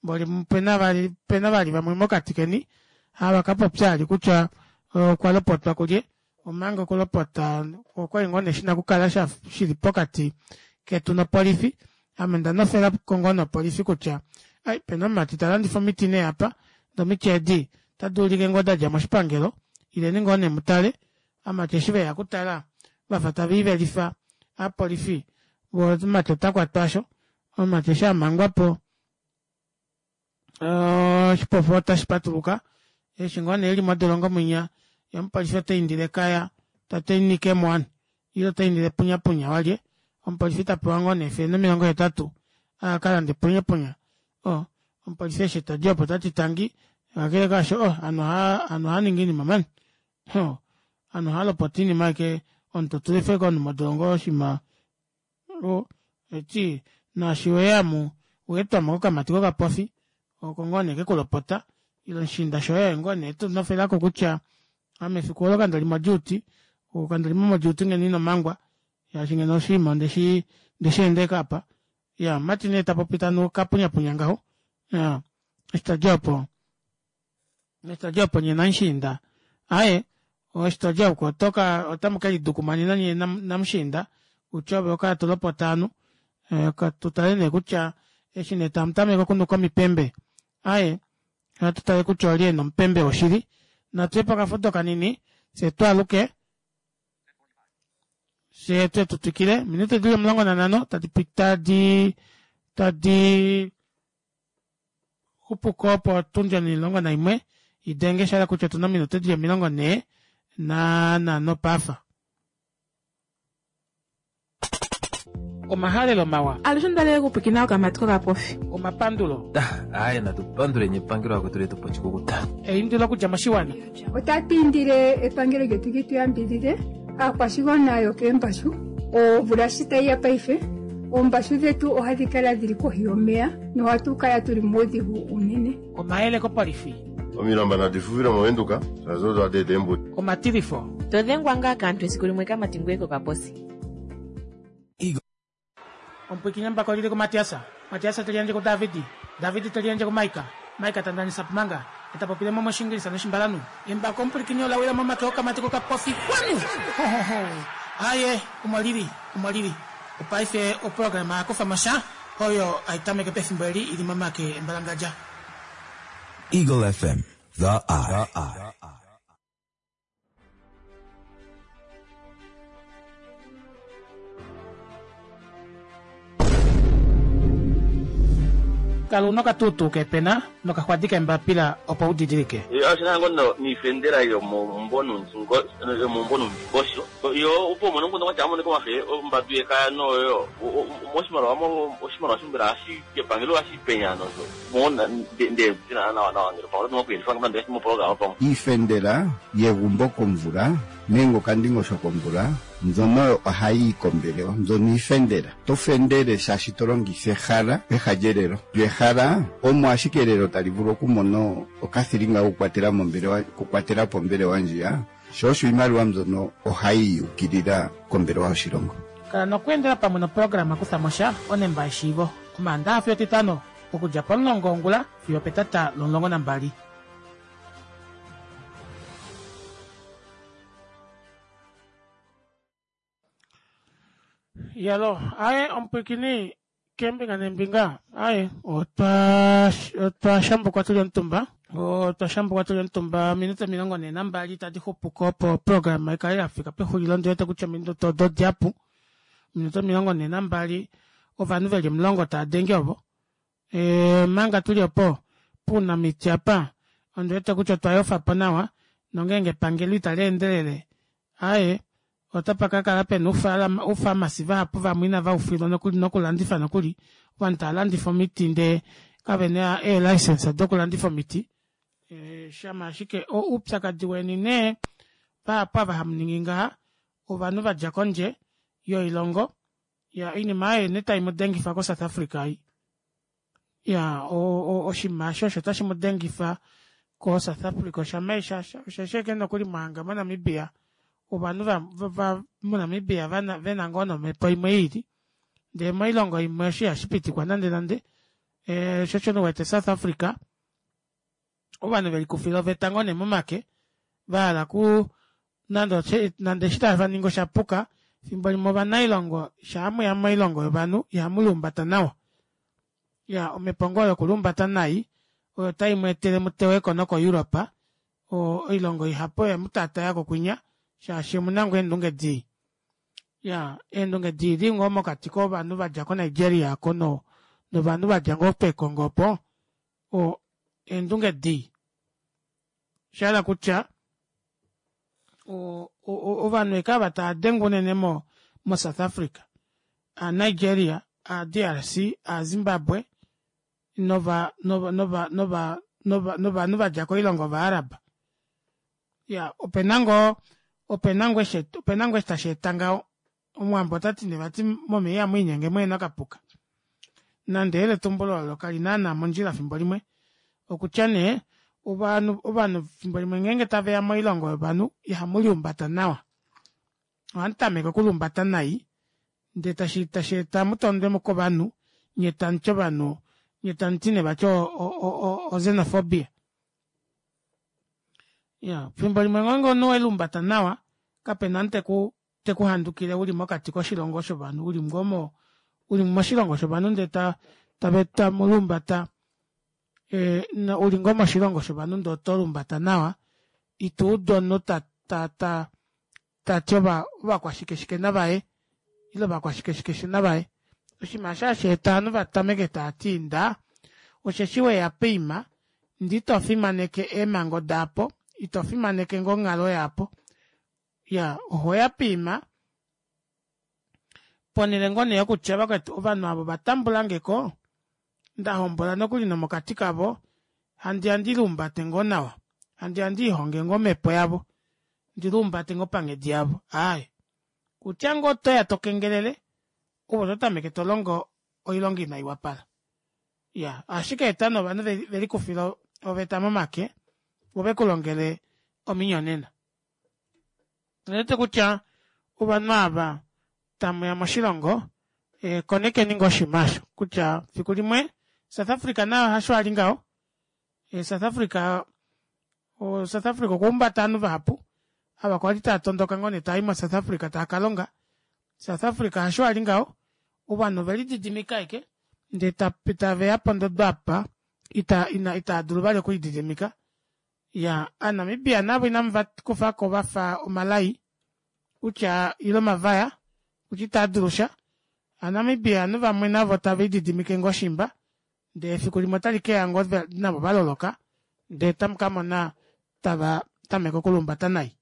mboli opena vali vamwe mokati keni hava kapopya vali kutya okwalopotwa kulye omanga okulopota okwali ngoo nee shina okukala shili pokati ketu nopolifi ame ondanofelako ngoo nee opolifi kutya ai opena omumati talandifa omiti nee apa ndee omiti edi otaduulike ngoo dadja moshipangelo ileni ngoo nee mutale ovamati eshi veya okutala vafa taviivelifa ovapolifi voo omumati otakwatwa aasho omumati eshi amangwapo oshipofa otashi patuluka Eshi ngoo nee eli modolongo mwinya yee omupolifi otaindile ekaya tati nikemo ovanhu ile otaindile punyapunya walye omupolifi tapewa ngoo nee efele nomilongo hetatu akalande punyapunya oo omupolifi eshi tadi opo otati tangi kakele kaasho oh ovanhu ohaaningi oinima mani ovanhu ohaalopota oinima ashike omunhu totula ashike omunhu modolongo oshiima oo tashiti naashi weya omu owaetwamo kokamati kokapofi oko ngoo nee kekulopota ile omushiinda shoye oye ngoo nee etufela kutya ame efiku oolo kandali mo duty kandalimo mo duty ngeno inomangwa shaashi ngeno oshiima ondeshi ondeshi endeka aapa iyaa omumati nee tapopi tanu okapunyapunya ngaho iyaa eshi tadi opo eshi tadi opo nyee namushiinda aaye eshi todi ouko otoka otamu kelidukumanena nyee namushiinda kutya ove owakala tolopota ovanhu tutale nee kutya eshi nee tamutameke okunuka omipembe aaye ohatutale kutya olye ena omupembe woshili natuye pokafudo kanini fyee twaaluke fyee tuye tutwikile ominute dili omulongo nanhano tadi tadi xupuko opo otundi onimulongo naimwe idenge shahala kutya otuna ominute dili omilongo nhee nanhano paife. Omahalelo mawa. Alushe ondali okupwiikina okamati kokapofi. Omapandulo. Aaye natu panduleni epangelo lakwetu letu po oshikukuta. Eindilo okudja moshiwana. Otatu indile epangelo lyetu li tu yambidhidhe aakwashigwana yokeembashu omvula shi tayi ya paife oombashu dhetu ohadhi kala dhili kohi yomeya nohatu kala tuli muudhigu unene. Omayele kopolifi. Omilamba nadi fufile movenduka shaashi odo hadi eta eembudi. Omatilifo. To dhengwa ngaa kaantu esiku limwe kamati ngoye kokaposi. Omupwiikini embako olili kuMatias, Matias te liyandje kuDavid, David te liyandje kuMaika, Maika ta ndanisa pumanga, ye ta popile mo mOshiingilisa nOshimbalanhu. Embako omupwilikini ola wila momake okamati kokapofi. Kwanu! Ho-ho-ho! Aaye, omo lili, omo lili. Opaife oprograma ya kufa mo sha, oyo hai tameke pefimbo eli i li momake embalangadja. Eagle F M, The Eye. Kala una okatuutuu keepena nokaxwadi keembapila opo u didilike. Oshina ngoo niifendela yomomumvo yomomumvo nuundingosho yo opo umone omukundu kwatya amonike omafe ombadu yekaya noyo moshimaliwa oshimaliwa sho mbela ohashi kepangelo ohashi penya nosho nde nawa nawa ngele pamwe oto okuyelifa nande moprograma pamwe. Iifendela yegumbo komvula nenge okandingosho komvula mbyono ohayi yi kombelewa mbyono iifendela. To fendele shaashi to longitha ehala peha lyelelo. Lyo ehala omo ashike elelo tali vulu okumona okathilinga kokukwatela mombelewa okukwatela po ombelewa ndjiya, sho osho iimaliwa mbyono ohayi ukilila kombelewa yoshilongo. Kala nokweendela pamwe noprograma Kutha mo sha onemba yeshiivo Omaandaxa fiyo Etitano okudja pomulongo wongula fiyo opetata lomulongo nambali. Iyaloo, aaye omupwiikini keembinga neembinga aaye otwa otwa shambukwa tuli omutumba otwa shambukwa tuli omutumba ominute omilongo nhee nambali tadi xupuko opo oprograma ikale yafika pexulilo ondiwete kutya ominute odo odihapu ominute omilongo nhee nambali ovanhu veli omulongo taadenge ovo omanga tuli opo pounamiti apa ondiwete kutya otwa yofapo nawa nongeenge epangelo itali endelele aaye otapa kakala pena oufamasi vahapu vamwe inava ufilwa nokuli nokulandifa nokuli ovanhu tava landifa omiti ndee kavena ee licence dokulandifa omiti shama ashike oupyakadi weni nee vahapu ava hamuningi ngaha ovanhu vadja kondje yoilongo ya oinima aayo nee tai mudengifa ko South Africa ei ya oshinima aasho osho tashi mudengifa ko South Africa oshama osheshi ashike nokuli mwahanga mo Namibia ovanhu va mo Namibia vena ngoo nomhepo imwe iili ndee moilongo imwe osho ihashi pitikwa nande nande sho osho uwete South Africa ovanhu velikufila oveta ngoo nee momake vahala ku nande nande eshi tavaningi oshapuka efimbo limwe ovanailongo shaa mweya moilongo yovanhu ihamu liumbata nawa ya omhepo ngoo yokuliumbata nai oyo tai mweetele muteweko noko Europe oilongo ihapu oye mutaatayako kwinya shaashi omuna ngoo eendunge dii ya eendunge dii dili ngoo mokati kovanhu vadja ko Nigeria oko no novanhu vadja ngoo peekongo opo o eendunge dii Oshahala kutya ovanhu ashike ava taadengwa unene mo mo south Africa aa Nigeria, aa D R C, aa Zimbabwe nova nova nova nova novanhu vadja koilongo ova Arab. Iyaa opena ngoo opena ngoo eshi tasheeta ngaho omuwambo otati nee vati momeva ihamwiinyenge muhena okapuka nande eyeletumbulo olo kali naana mondjila efimbo limwe okutya nee ovanhu ovanhu efimbo limwe ngenge taveya moilongo yovanhu ihamuliumbata nawa ohamutameke okuliumbata nai ndee tasheeta mutondwe kovanhu nyee tamuti ovanhu nyee tamuti nee vati o xenophobia. Iyaa efimbo limwe ngeenge omunhu oweluumbata nawa kapena ou teku tekuhandukile uli mokati koshilongo shovanhu uli ngoo mo uli moshilongo shovanhu ndee tamuliumbata uli ngoo moshilongo shovanhu ndee otoliumbata nawa ituudu omunhu ta- ta tati ovakwashike shike navaye ile ovakwashike navaye oshinima aasho hasheeta ovanhu vatameke taati inda osheshi weya poima ndee itofimaneke eemango daapo itofimaneke ngoo onghalo yaapo iyaa ohoya poima ponele ngoo nee yokutya vakwetu ovanhu aava ovatambulangeko ndahombola nokuli nomokati kavo handiya ndiluumbate ngoo nawa handiya ndiilonge ngoo omepo yavo ndiluumbate ngoo panghedi yavo aaye kutya ngoo otoya tokengelele ove ototameke tolongo oilonga ina iwapala iyaa ohashikeeta nee ovanhu velikufile oveta momake voo vekulongele ominyonena. Ondiwete kutya ovanhu aava tamuya moshilongo konekeni ngoo oshinima aasho kutya fiku limwe south Africa naye osho ali ngaho south africa south Africa okwa humbata ovanhu vahapu ava kwali taatondoka ngoo nee taayi mo south Africa taakalonga south Africa hasho ali ngaho ovanhu ovelididimika ashike ndee taveya pondodo aapa itaadulu vali okulididimika iyaa ovanamibia navo inamuvakufako vafa omalai kutya ile omavaya kutya itaadulusha ovanamibia ovanhu vamwe navo tavelididimike ngoo shimba ndee efiku limwe otalikeya ngoo navo valoloka ndee tamukamona tava tameke okuliumbata nai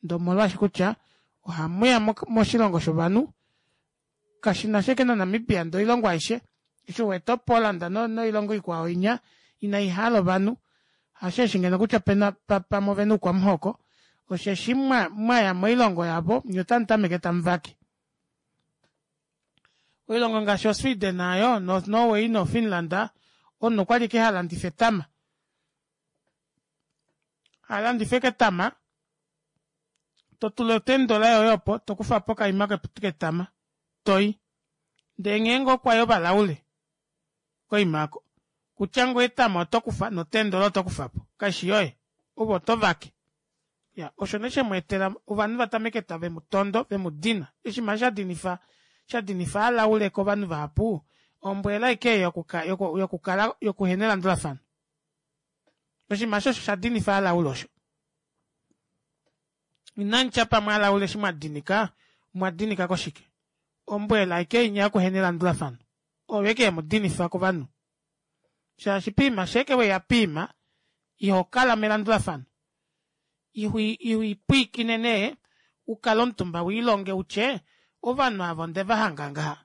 ndee omolwaashi kutya ohamuya moshilongo shovanhu kashinasha ashike na namibia ndee oilongo aishe eshi uwete o poland noilongo ikwao inya inaihala ovanhu hasheeshi ngeno kutya pamwe ovena oukwamuhoko osheshi mwaya moilongo yavo nyee otamutameke tamuvake oilongo ngaashi o sweden aayo no norway no finland omunhu okwali ashike halandifa etama halandifa ashike etama totula oten dollar yoye opo tokufapo okaima ketama toyi ndee ngeenge okwaya ovalaule koima aako kutya ngoo etama otokufa no ten dollar otokufapo kaishi yoye ove otovake iyaa osho nee shemweetela ovanhu vatameke tavemutondo vemudina oshinima aasho shadinifa shadinifa ovalaule kovanhu vahapu ombweela ashike ei yokukala yokuhena elandulafano oshinima aasho osho shadinifa ovalaule osho inamutya pamwe ovalaule eshi mwadinika omwadinika koshike ombweela ashike inya yokuhena elandulafano oyo ashike yemudinifa kovanhu shaashi poima shaike weya poima ihokala melandulafano iho ipwiikine nee ukale omutumba wiilonge utye ovanhu aava ondevahanga ngaha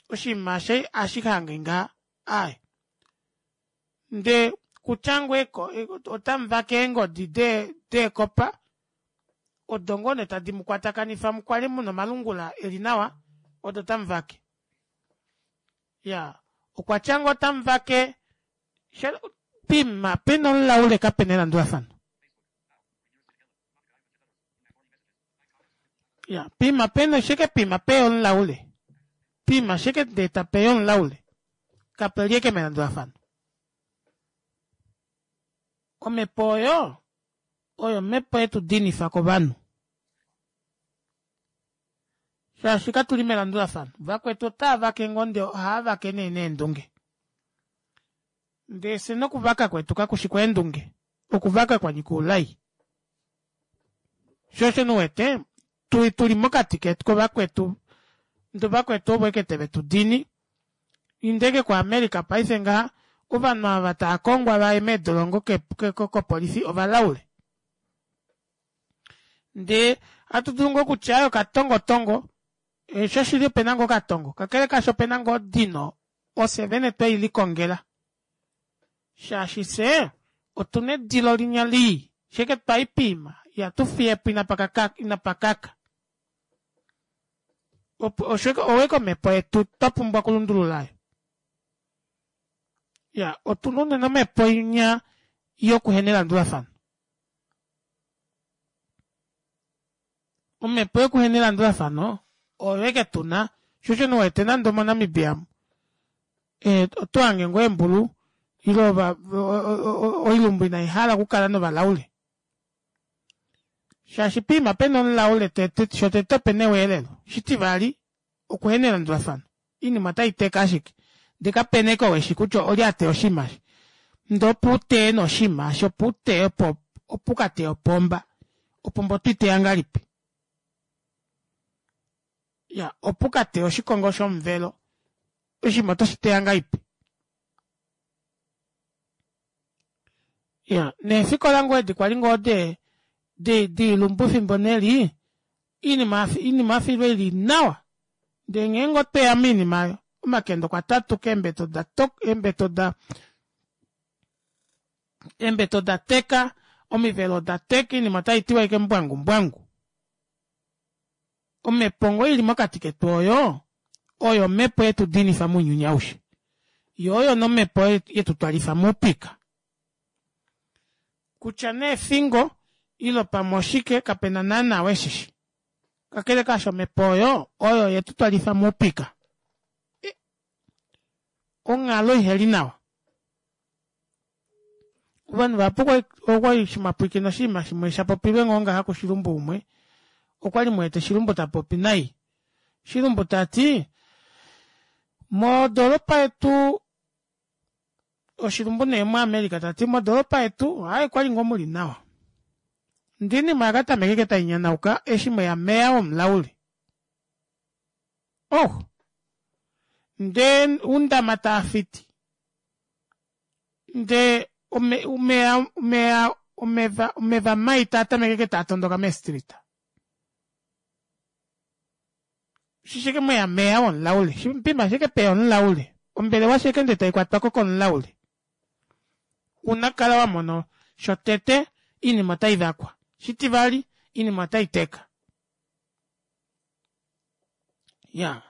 oshinima eshi ohashihange ngaha aaye ndee kutya ngoo otamuvake eengodi deekopa odo ngoo nee tadi mukwatakanifa mukale muna omalungula eli nawa odo tamuvake iyaa okwatya ngoo otamuvake poima pena omulaule kapena elandulafano iya poima pena ashike poima peya omulaule poima ashike ndee tapeya omulaule kapeli ashike melandulafano omepo oyo oyo omepo yetudinifa kovanhu shaashi katuli melandulafano vakwetu otaavake ngoo ndee ohaavake nee neendunge ndee fyee nokuvaka kwetu kakushi kweendunge okuvaka kwanyika oulai shoo osho nee uwete tuli mokati kovakwetu ndee ovakwetu ovo ashike tave tudini inda ashike ko america paife ngaha ovanhu ava taakongwa vaye meedolongo kopolifi ovalaule. Ndee ohatu dulu ngoo okutya aaye okatongotongo shoshili opena ngoo okatongo kakele kaasho opena ngoo odino ofye vene twelikongela shaashi fyee otuna edilo linya lii shaike twayi poima ihatufiyepo inapakaka oyo ashike omepo yetu twapumbwa okulundulula aayo iyaa otuna unene omepo inya yokuhena elandulafano omepo yokuhena elandulafano oyo ashike tuna shoo osho nee uwete nande omo namibia omu otohange ngoo eembulu ile oilumbu inaihala okukala novalaule shaashi poima pena omulaule tete shotete opena eweelelo oshitivali okuhena elandulafano oinima otaiteka ashike ndee kapena ashike ou eshi kutya olye ateya oshinima eshi ndee opo uteye nee oshinima aasho opo uteye opo ukateye opomba opomba otoiteya ngahelipi iyaa opo ukateye oshikongo shomuvelo oshinima oto shiteya ngahelipi iyaa neefikola ngoo edi kwali ngoo dee doilumbu efimbo neli oinima oyafa ili nawa ndee ngeenge otweya moinima aayo omakende okwa tatuka eembete oda eembete odateka omivelo odateka oinima otaitiwa ashike mbwangu mbwangu omepo ngoo ili mokati ketu oyo oyo omepo yetudinifa mounyuni aushe yoo oyo nee omepo yetutwalifa moupika kutya nee efingo ile pamwe oshike kapena naana ou eshishi kakele kaasho omepo oyo oyo yetutwalifa moupika onghalo iheli nawa ovanhu vahapu okwali eshi mwapwilikina oshinima shimwe shapopilwe ngoo ngaha kushilumbu umwe okwali muwete shilumbu tapopi nai shilumbu tati modoropa yetu oshilumbu nee mu america tati modoropa yetu aaye okwali ngoo muli nawa ndee oinima oyakatameka ashike tainyanauka eshi mweya mayor womulaule oh ndee oundama taafiti ndee omeva omeva mai taatameke ashike taatondoka mee street eshi ashike mweya mayor womulaule poima eshi ashike peya omulaule ombelewa eshi ashike ndee taikwatwako komulaule ouna okukala wamona shotete oinima otaivakwa oshitivali oinima otaiteka iyaa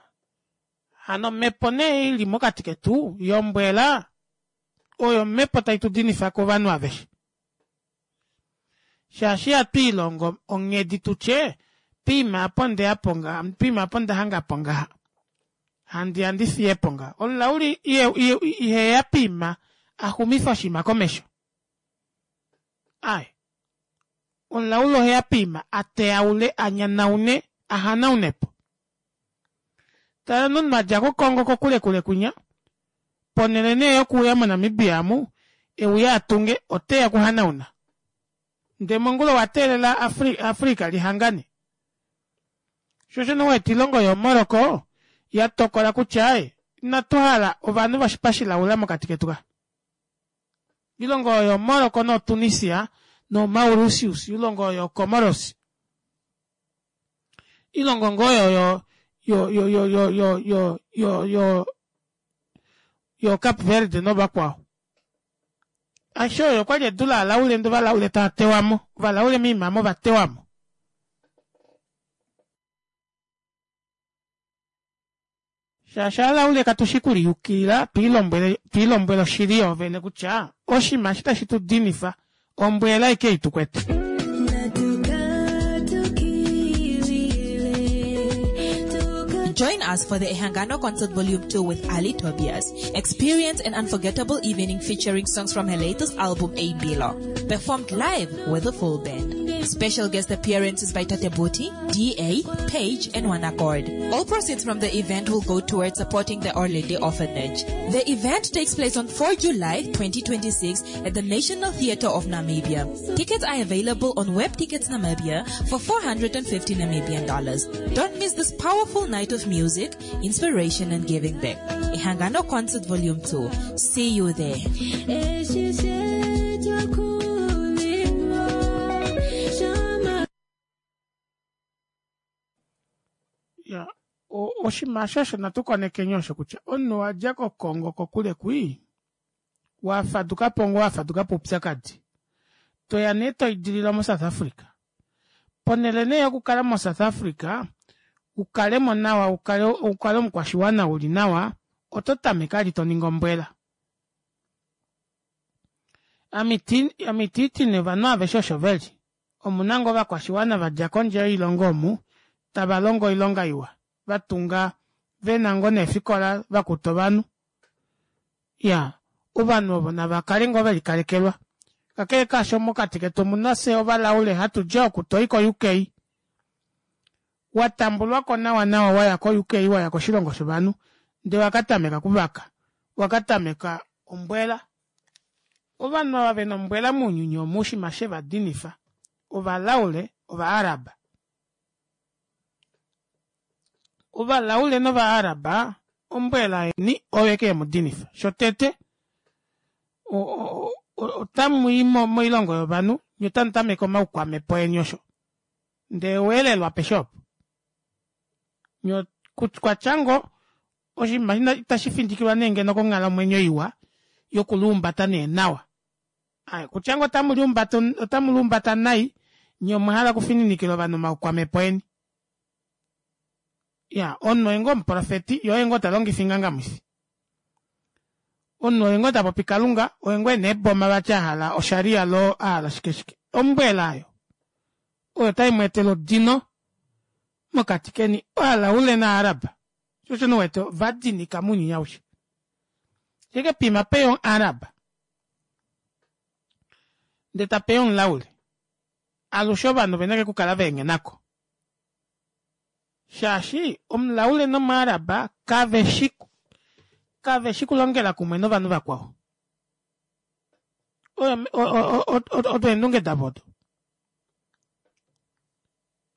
hano omepo nee ili mokati ketu yombwela oyo omepo taitudinifa kovanhu aveshe shaashi ihatwiilongo onghedi tutye poima aapa ondeyapo ngaha poima aapa ondahangapo ngaha handiya ndifiyepo ngaha omulaule iheya poima axumife oshinima komesho aaye omulaule oheya poima ateyaule anyanaune ahanaunepo tala nee omunhu adja ko congo kokule kule kwinya ponele nee yokuuya mo namibia omu euye atunge oteya okuhanauna ndee mongula owateelela africa lihangane shoo osho nee uwete oilongo yoo morocco yatokola kutya aaye inatuhala ovanhu voshipa shilaula mokati ketu kaa oilongo oyo yoo morocco noo tunisia noo mauritius oilongo oyo yoo comoros oilongo ngoo oyo yo yo yo yo yo yo yo yo cape verde novakwao aishe oyo okwali edu lovalaule ndee ovalaule taatewamo ovalaule moima aamo ovatewamo shaashi ovalaule katushi okuliyukilila twiilombwele oshili yoovene kutya oshinima eshi tashi tudinifa ombwa ashike ei tukwete Join us for the Ehangano Concert Volume two with Ali Tobias. Experience an unforgettable evening featuring songs from her latest album, Eimbilo, performed live with a full band. Special guest appearances by Tate Boti, D A, Page, and One Accord. All proceeds from the event will go towards supporting the Orlindi Orphanage. The event takes place on four July twenty twenty-six at the National Theatre of Namibia. Tickets are available on Web Tickets Namibia for four hundred and fifty Namibian dollars. Don't miss this powerful night of music, inspiration, and giving back. Ehangano Concert Volume two. See you there. Oshinima osho osho natu konekeni osho kutya omunhu wadja koKongo kokule kwii, wafadukapo ngoo wafadukapo oupyakadi, toya nee toidililwa moSouth Africa. Ponhele nee yokukala moSouth Africa ukalemo nawa, ukale, ukale omukwashiwana uli nawa, oto tameke ali toningi ombwela. Amiti tine ovanhu aveshe osho veli. Omuna ngoo ovakwashiwana vadja kondje yoilongo omu tava longo oilonga iwa, vatunga vena ngoo neefikola vakuta ovanhu. Ya, ovanhu ovo nava kale ngoo velikalekelwa. Kakele kaasho mokati ketu omuna fye ovalaule hatu dja oku toi ko U K. Watambulwako nawa nawa waya ko U K, waya koshilongo shovanhu, ndee wakatameka kuvaka, wakatameka ombwela. Ovanhu ava vena ombwela mounyuni omu oshima shevadinifa, ovalaule ovaaraba. Ovalaule novaaraba ombwela yeni oyo eke yemudinifa. Shotete otamu i moilongo yovanhu nye otamu tameke omaukwamepo eni osho. Ndee weelelwa peshe opo. Nye kwatyango oshinima itashi findikilwa nee ngeno konghalamwenyo iwa yokuluumbata nee nawa. Ai, kutyango otamu liumbata, otamu liumbata nai, nye omwa hala okufininikila ovanhu omaukwamepo eni. Ya, omunhu oye ngoo omuprofeti, ye oye ngoo talongifa ingangamwifi. Omunhu oye ngoo tapopi Kalunga, oye ngoo ena eeboma vati a hala osharia lo a hala shike shike. Ombwela ayo oyo tai mu etele odino mokati keni, ovalaule naAraba. Shosho nuwete ovadinika mounyuni aushe. Sheke pima peyo Araba ndee tapeya omulaule. Alushe ovanhu ovena okukala vaenghenako. Shaashi omulaule nomuaraba kaveshi kaveshi kulongela kumwe novanhu vakwao. Odo eendunge davo odo.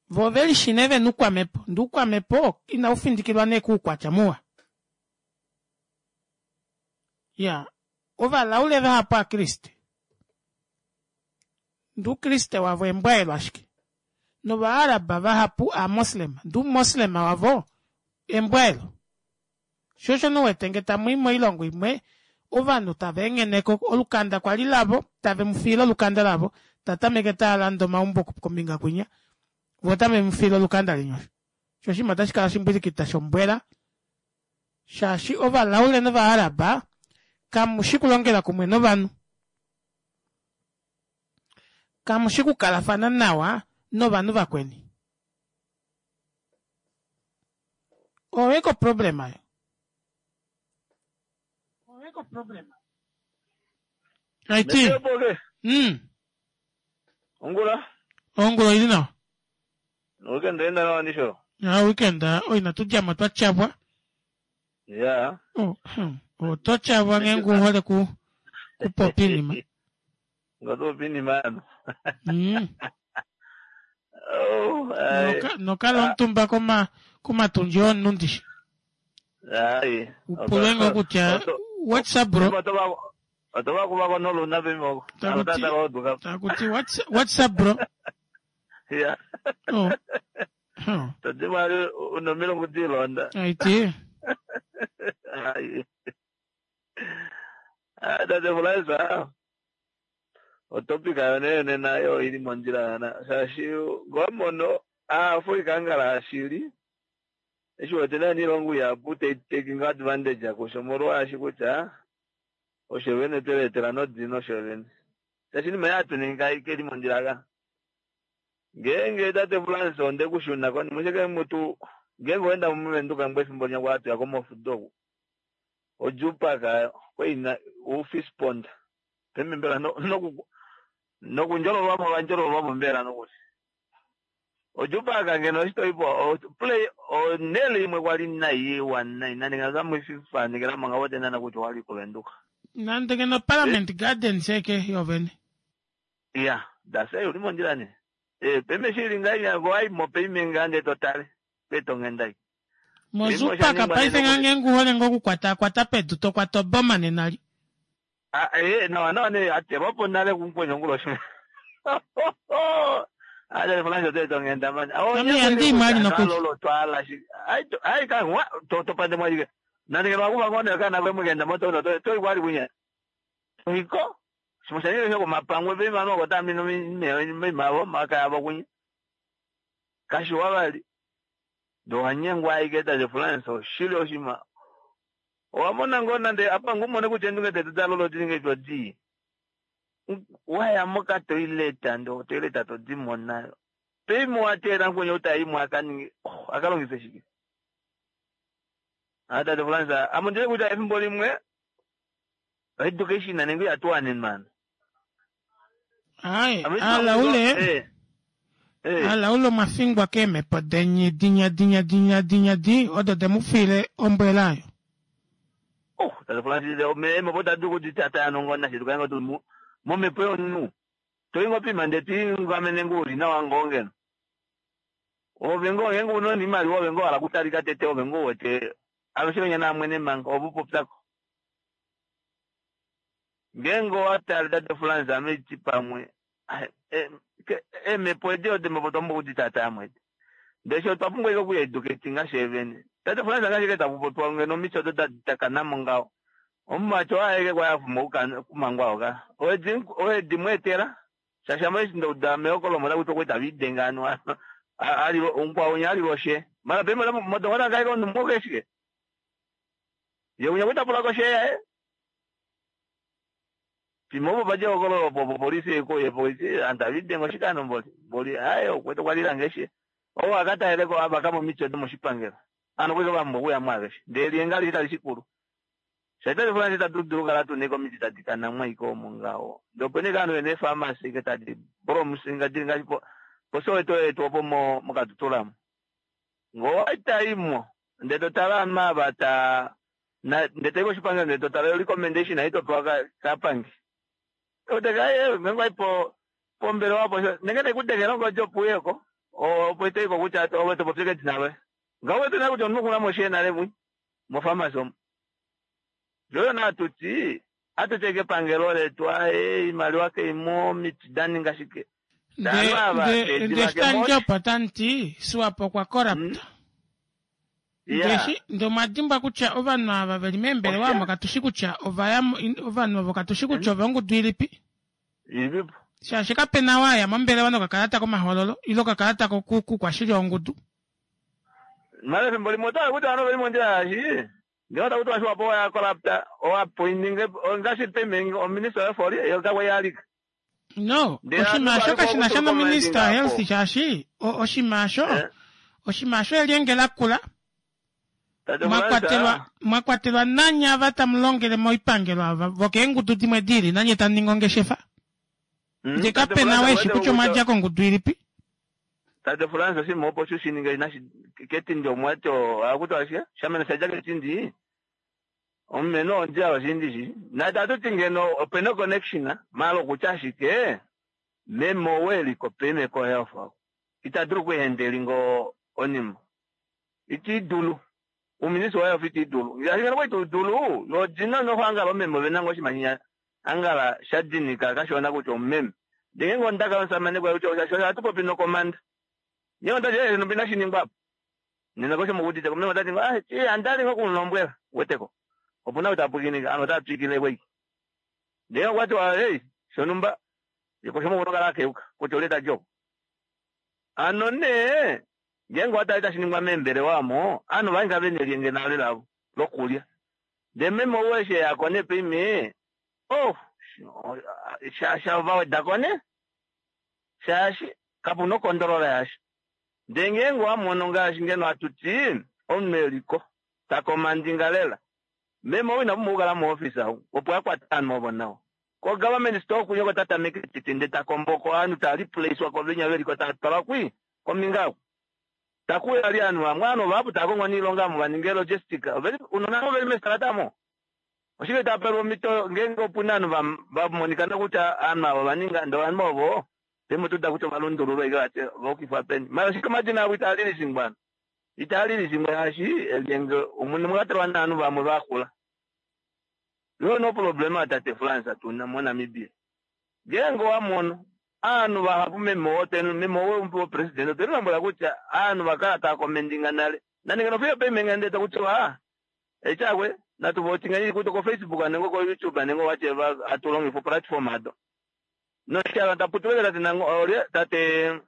Vo ovelishi nee vena oukwamepo. Ndee oukwamepo inau findikilwa nee kuukwatya muwa. Ya, ovalaule vahapu aakriste. Ndee oukriste wavo embwaelo ashike. Novaaraba vahapu aamoslema. Ndee oumoslema wavo embwaelo. Sho osho nuwete nge tamu i moilongo imwe ovanhu tava engheneko olukanda kwali lavo, tave mu fiile olukanda lavo, tatameke taalande omaumbo kombinga kwinya, vo otave mu fiile olukanda leni osho. Sho oshinima otashi kala shimbwilikita shombwela, shaashi ovalaule novaaraba kamushi kulongela kumwe novanhu. Kamushi kukalafana nawa novanhu vakweni. Oyo eko problem ayo. Oyo problem. Aiti. Mm. Ongula. Ongula ili nawa. Weekend enda nawa ndisho. Ya weekend oi natudjamo twa tyabwa. Ya. Oh, hmm. Otwa tyabwa ngeenge uhole ku kupopi inima. Ngatopi inima yano. Mm. Oh, ai. Noka nokala omutumba koma komatundji omunhu ndishi. Ai. Upulwe ngoo kutya what's up bro? Otova kuvako noluna pimoko. Takuti takuti what's what's up bro? Ya. Oh. Huh. Tadimali unomilongo dilonda. Aiti. Ai. Ah, tate Fulaiza. Otopika yone yone nayo ili mondjila yana. Shaashi ngomono Aafrika ngala shili. Eshi wete nani ilongo yapu taking advantage kusho molwaashi kutya osho vene tweletela nodino osho vene. Shaashi inima yatuninga ikeli mondjila ka. Ngeenge tate Fulaiza onde kushuna konima oshike mutu ngeenge oenda muVenduka ngwe efimbo linya kwa atuya komofudo oku. Odjupaka kweina ufish pond. Pembe mbela no noku nokundjololwamo vandjololwamo mbela nokuti. Odjupaka ngeno oshitoipo play onele imwe kwali naiwa nai nani ngazamuififanikela manga wote nana kuti wali kuVenduka. Nande ngeno Parliament Gardens eke yovene. Ya, dase uli mondjila ne. Eh, pembe shili ngai ngo ai mo peime ngande totale. Peto ngendai. Mozupaka paife ngange nguhole ngo kukwata kwata pedu to kwata oboma nenali. Ah, eh, no, no, ne atelwapo nale kunkwenye onguloshi. Tate Frans oto eta onghenda mani. Ame ihandi i mwali nokuli. Twala shi. Ai to- ai ka wa to to pande mwali. Nande ngeno wakuva ngone kana kwe mugenda moto no to to ikwali kunya. Iko. Simushanire shoko mapangwe pe mama kota mino mi mi mavo maka yabo kunya. Kashi wavali. Ndo wanyengwa aike tate Frans oshili oshima. Owamona ngoo nande apa ngumone kutya endunge tetu dalolo dininge todi. Waya moka toilet ndo toilet to dimona. Pimo watera nkunye utaimu akaninge oh, akalongise shike. Ata tate Frans amundire kuti efimbo limwe education nanenge yatuwane mana. Ai, Ame- alaule Eh. Eh. alaule omwafingwa keemhepo denyi dinya dinya dinya dinya di odo demufile ombwela ayo. Oh, tate Frans me tadu kuti tata yanongona shetu kainga tu mu momhepo yonu. Toingo pima ndeti ngamene nguli na wangongeno. Ove ngo ngengo unoni imali ove ngo ala kutalika tete ove ngo wete aveshe na mwene manga obupopyako. Ngengo watali tate Frans ameti pamwe. Ah, eh, ke- Emhepo edi ode mhepo tombo kuti tata yamwete. Ndesho twapumbwa iko kuyeducate ngashevene. Tate Frans angashike takupopiwa ngeno micho odo takanamo ngaho. Omumacho aeke kwayafuma kumangwa oka. Oedi oedi mwetera. Shasha eshi ndouda meokolomo lakuti okweta videnga anu ali unkwaunya ali loshe. Mara pema modongona kaiko numuke shike. Ye unya kweta pula koshe yae. Pimopo paje okolo po polisi eko ye polisi anta videngo shikano mboli. Mboli ayo kweta kwalira ngeshe. Owo akataeleko aba kamo micho domo shipangela. Ano kweka bambo kuya mwageshe. Ndeli engali itali shikulu. Shaitali fulani tatu kala tuneko miti tadikana mwaiko mungawo. Ndopene kano ene pharmacy ke tadi bro musinga dinga po posoweto etu opo mo mukatutulamo. Ngo itaimo ndeto tala mabata na ndete shipanga ndeto tala recommendation aito kwa kapangi. Oteka ye ngwa ipo pombele wapo nengene kudekela ngo job yeko. O opo ite ko kucha oweto popike dinawe. Ngawe tena kuti onukuna moshe nale mwi. Mo pharmacy omo. Joyo na tuti atuteke pangelo letu ae imaliwa ke imo miti dani ngashike. Nde Ava, nde tedi nde vake Stan moshi. Job otanti Swapo okwa corrupt. Yeah. Ndeshi nde omwadimbwa kutya ovanhu ava veli meembelewa omo katushi kutya ovaya ovanhu ovo katushi kutya ovongudu ilipi. Ilipipo. Shaashi kapena waya mombelewa nokakalata komahoololo ile okakalata kokukwashili ongudu. Mara efimbo limwe otava kuti vano veli mondjila yashi. Ngeno takuti washiwapo oya corrupta owa pointing ngaashi payment ominister yefoli yotakwe yalika. No, Ndee oshinima atu osho vali kashi na sha kokutu nominista komandinga health apo. shaashi o- oshinima osho oshinima osho elyenge lakula Tate mwa Frans, kwatelwa mwa kwatelwa nanye ava tamu longele moipangelo ava vokeengudu dimwe dili nanye tamu ningi ongeshefa. Mm, Nde Tate kapena Frans, weshi wete kutya omwadja kutya- kongudu ilipi. Tate Frans oshinima opo shushininga inashi ketindi omwati akuti ashike shamene shaja ketindi omumeno ondjila oshindi shi na tatuti ngeno opena connection mala okutya ashike meme weliko peme ko health ako ita dulu kuhendeli ngo onima iti dulu uminisi wa health iti dulu ashike ngeno kwaitu dulu yodina nohwangala omeme ovenanga oshimanyinya angala shadinika kashona kutya omumeme ndenge ngondaka yomusamane kwaye kutya osho hatu popi nokomanda nyengo ndati eh nopina shiningwa apo nena kosho mukutite meme otati ah chi andali ngokulombwela weteko opuna kuti apukinika ano tatwikile kwei ndenge kwati wa hey shonumba ikosho mukunokala akeuka kuti oleta joko ano ne ngengo watali tashiningwa membele wamo ano vainga venelienge nalo lavo lokulya nde meme oweshe yakone pime oh shavawedako ne shaashi kapuna okondolola yasho nde ngeenge wamono ngaashi ngeno atuti omunhu eliko takomandinga lela meme ou ina pumbwa okukala moofisa ou opo akwata ovanhu ovo nawa ko government store kunye ko tatameke tete nde takomboko ovanhu taliplacewa kovenya veliko tatwalwa kwi kominga aku takuya li ovanhu vamwe ovanhu vahapu taakongo niilonga amo vaninge logistic Oveli- unona vo veli mestalata amo oshike tapelwa omhito ngeenge opuna ovanhu vamonika nokutya ovanhu avo vaninga nde ovanhu ovo pemutuda kutya ovalundululwa ike vati vaukifwa peni mara shike omadina avo itaalilishingwa itaalilishingwa shaashi elyenge omune mwakatelwa naanhu vamwe vakula yo no problema tate France tuna moNamibia ngeenge wamono Aanhu vahapu meme oo meme oo president otwe lombwela kutya aanhu vakala tava commentinga nale. Nande ngeno fiyo payment ndele takutiwa echakwe natu votinga kuto ko Facebook nenge ko YouTube nenge whatever atulongifa platform ado. Noshala taputuwele tate nango olye tate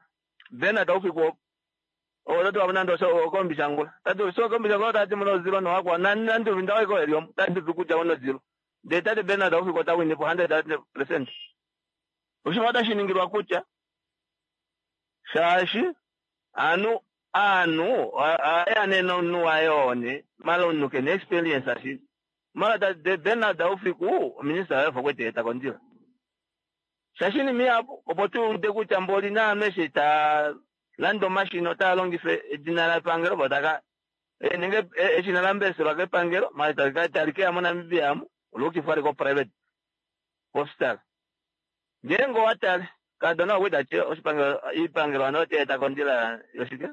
Bernard Aufiku o tatu nando so kombishangula. Tatu so kombishangula tati muno zero no akwa nandi vindawe ko elio tati kuja uno zero. De tate Bernard Aufiku ta win for one hundred percent. Oshima otashi kutya shaashi anu anu ayane no ayone malo kene experience ashi mala tate Bernard Aufiku minister wa fokwete takondila. Shaashi ni miapo opo tuude kutya mboli na ameshe ta lando machine ota longife edina la pangelo botaka nenge eshina la mbese la pangelo mali talika talike amo Namibia amo olukifari ko private postal. Ngengo watale kadona weda che oshipangelo ipangelo anote takondila yoshike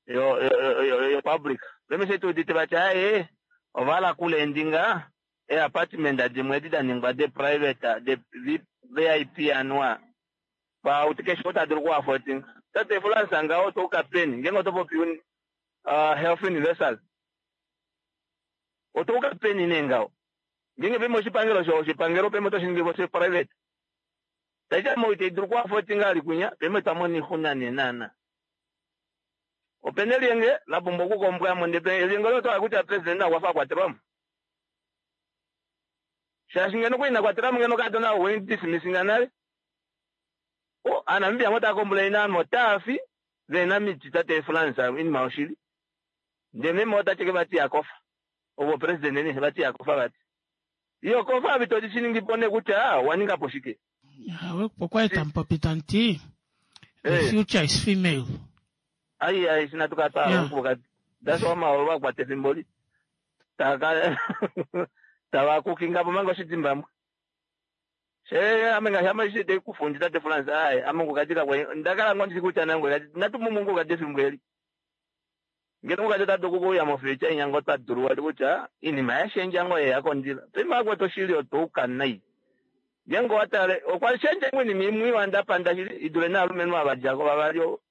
yo yo yo public. Lemese tu dite bacha eh ovala kule ndinga e apartment adimwe dida de private de V I P anwa pa utikesho otadulu ku affording. Tate Florence nga oto kapeni ngengo topo piuni uh, health universal oto kapeni nengao ngenge pemo oshipangelo sho oshipangelo pemo toshingi vose private taita mo ite dulu ku affording ali kunya pemo tamoni huna nenana opene lienge la bombo ku kombwa monde pe lienge lo to akuta president akwafa kwateramo shaashi ngeno kuina kwateramo ngeno kadona wen dismissing nale o anambia mota komplaina motafi vena miti tate Florence in maushili ndeme mota cheke bati yakofa obo president ne bati yakofa bati iyo kofa bitodi chiningi pone kutya waninga poshike awe pokwa tampopitanti the future is female ai ai sina tukata okuka that's why ma wa kwate fimboli taka tawa kukinga pomango shidzimbamwe she amenga shama shite kufundi tate Florence ai amungu katika kwa ndakala ngondi kucha nango natumungu kati fimbweli ngeno kati tatukuya mofecha inyango taduru kucha inima yashenja ngo yakondila pema kwa toshili toka nai ngengo watale okwa shenja ngweni mimwi wanda panda shili idule na alume abajako babalyo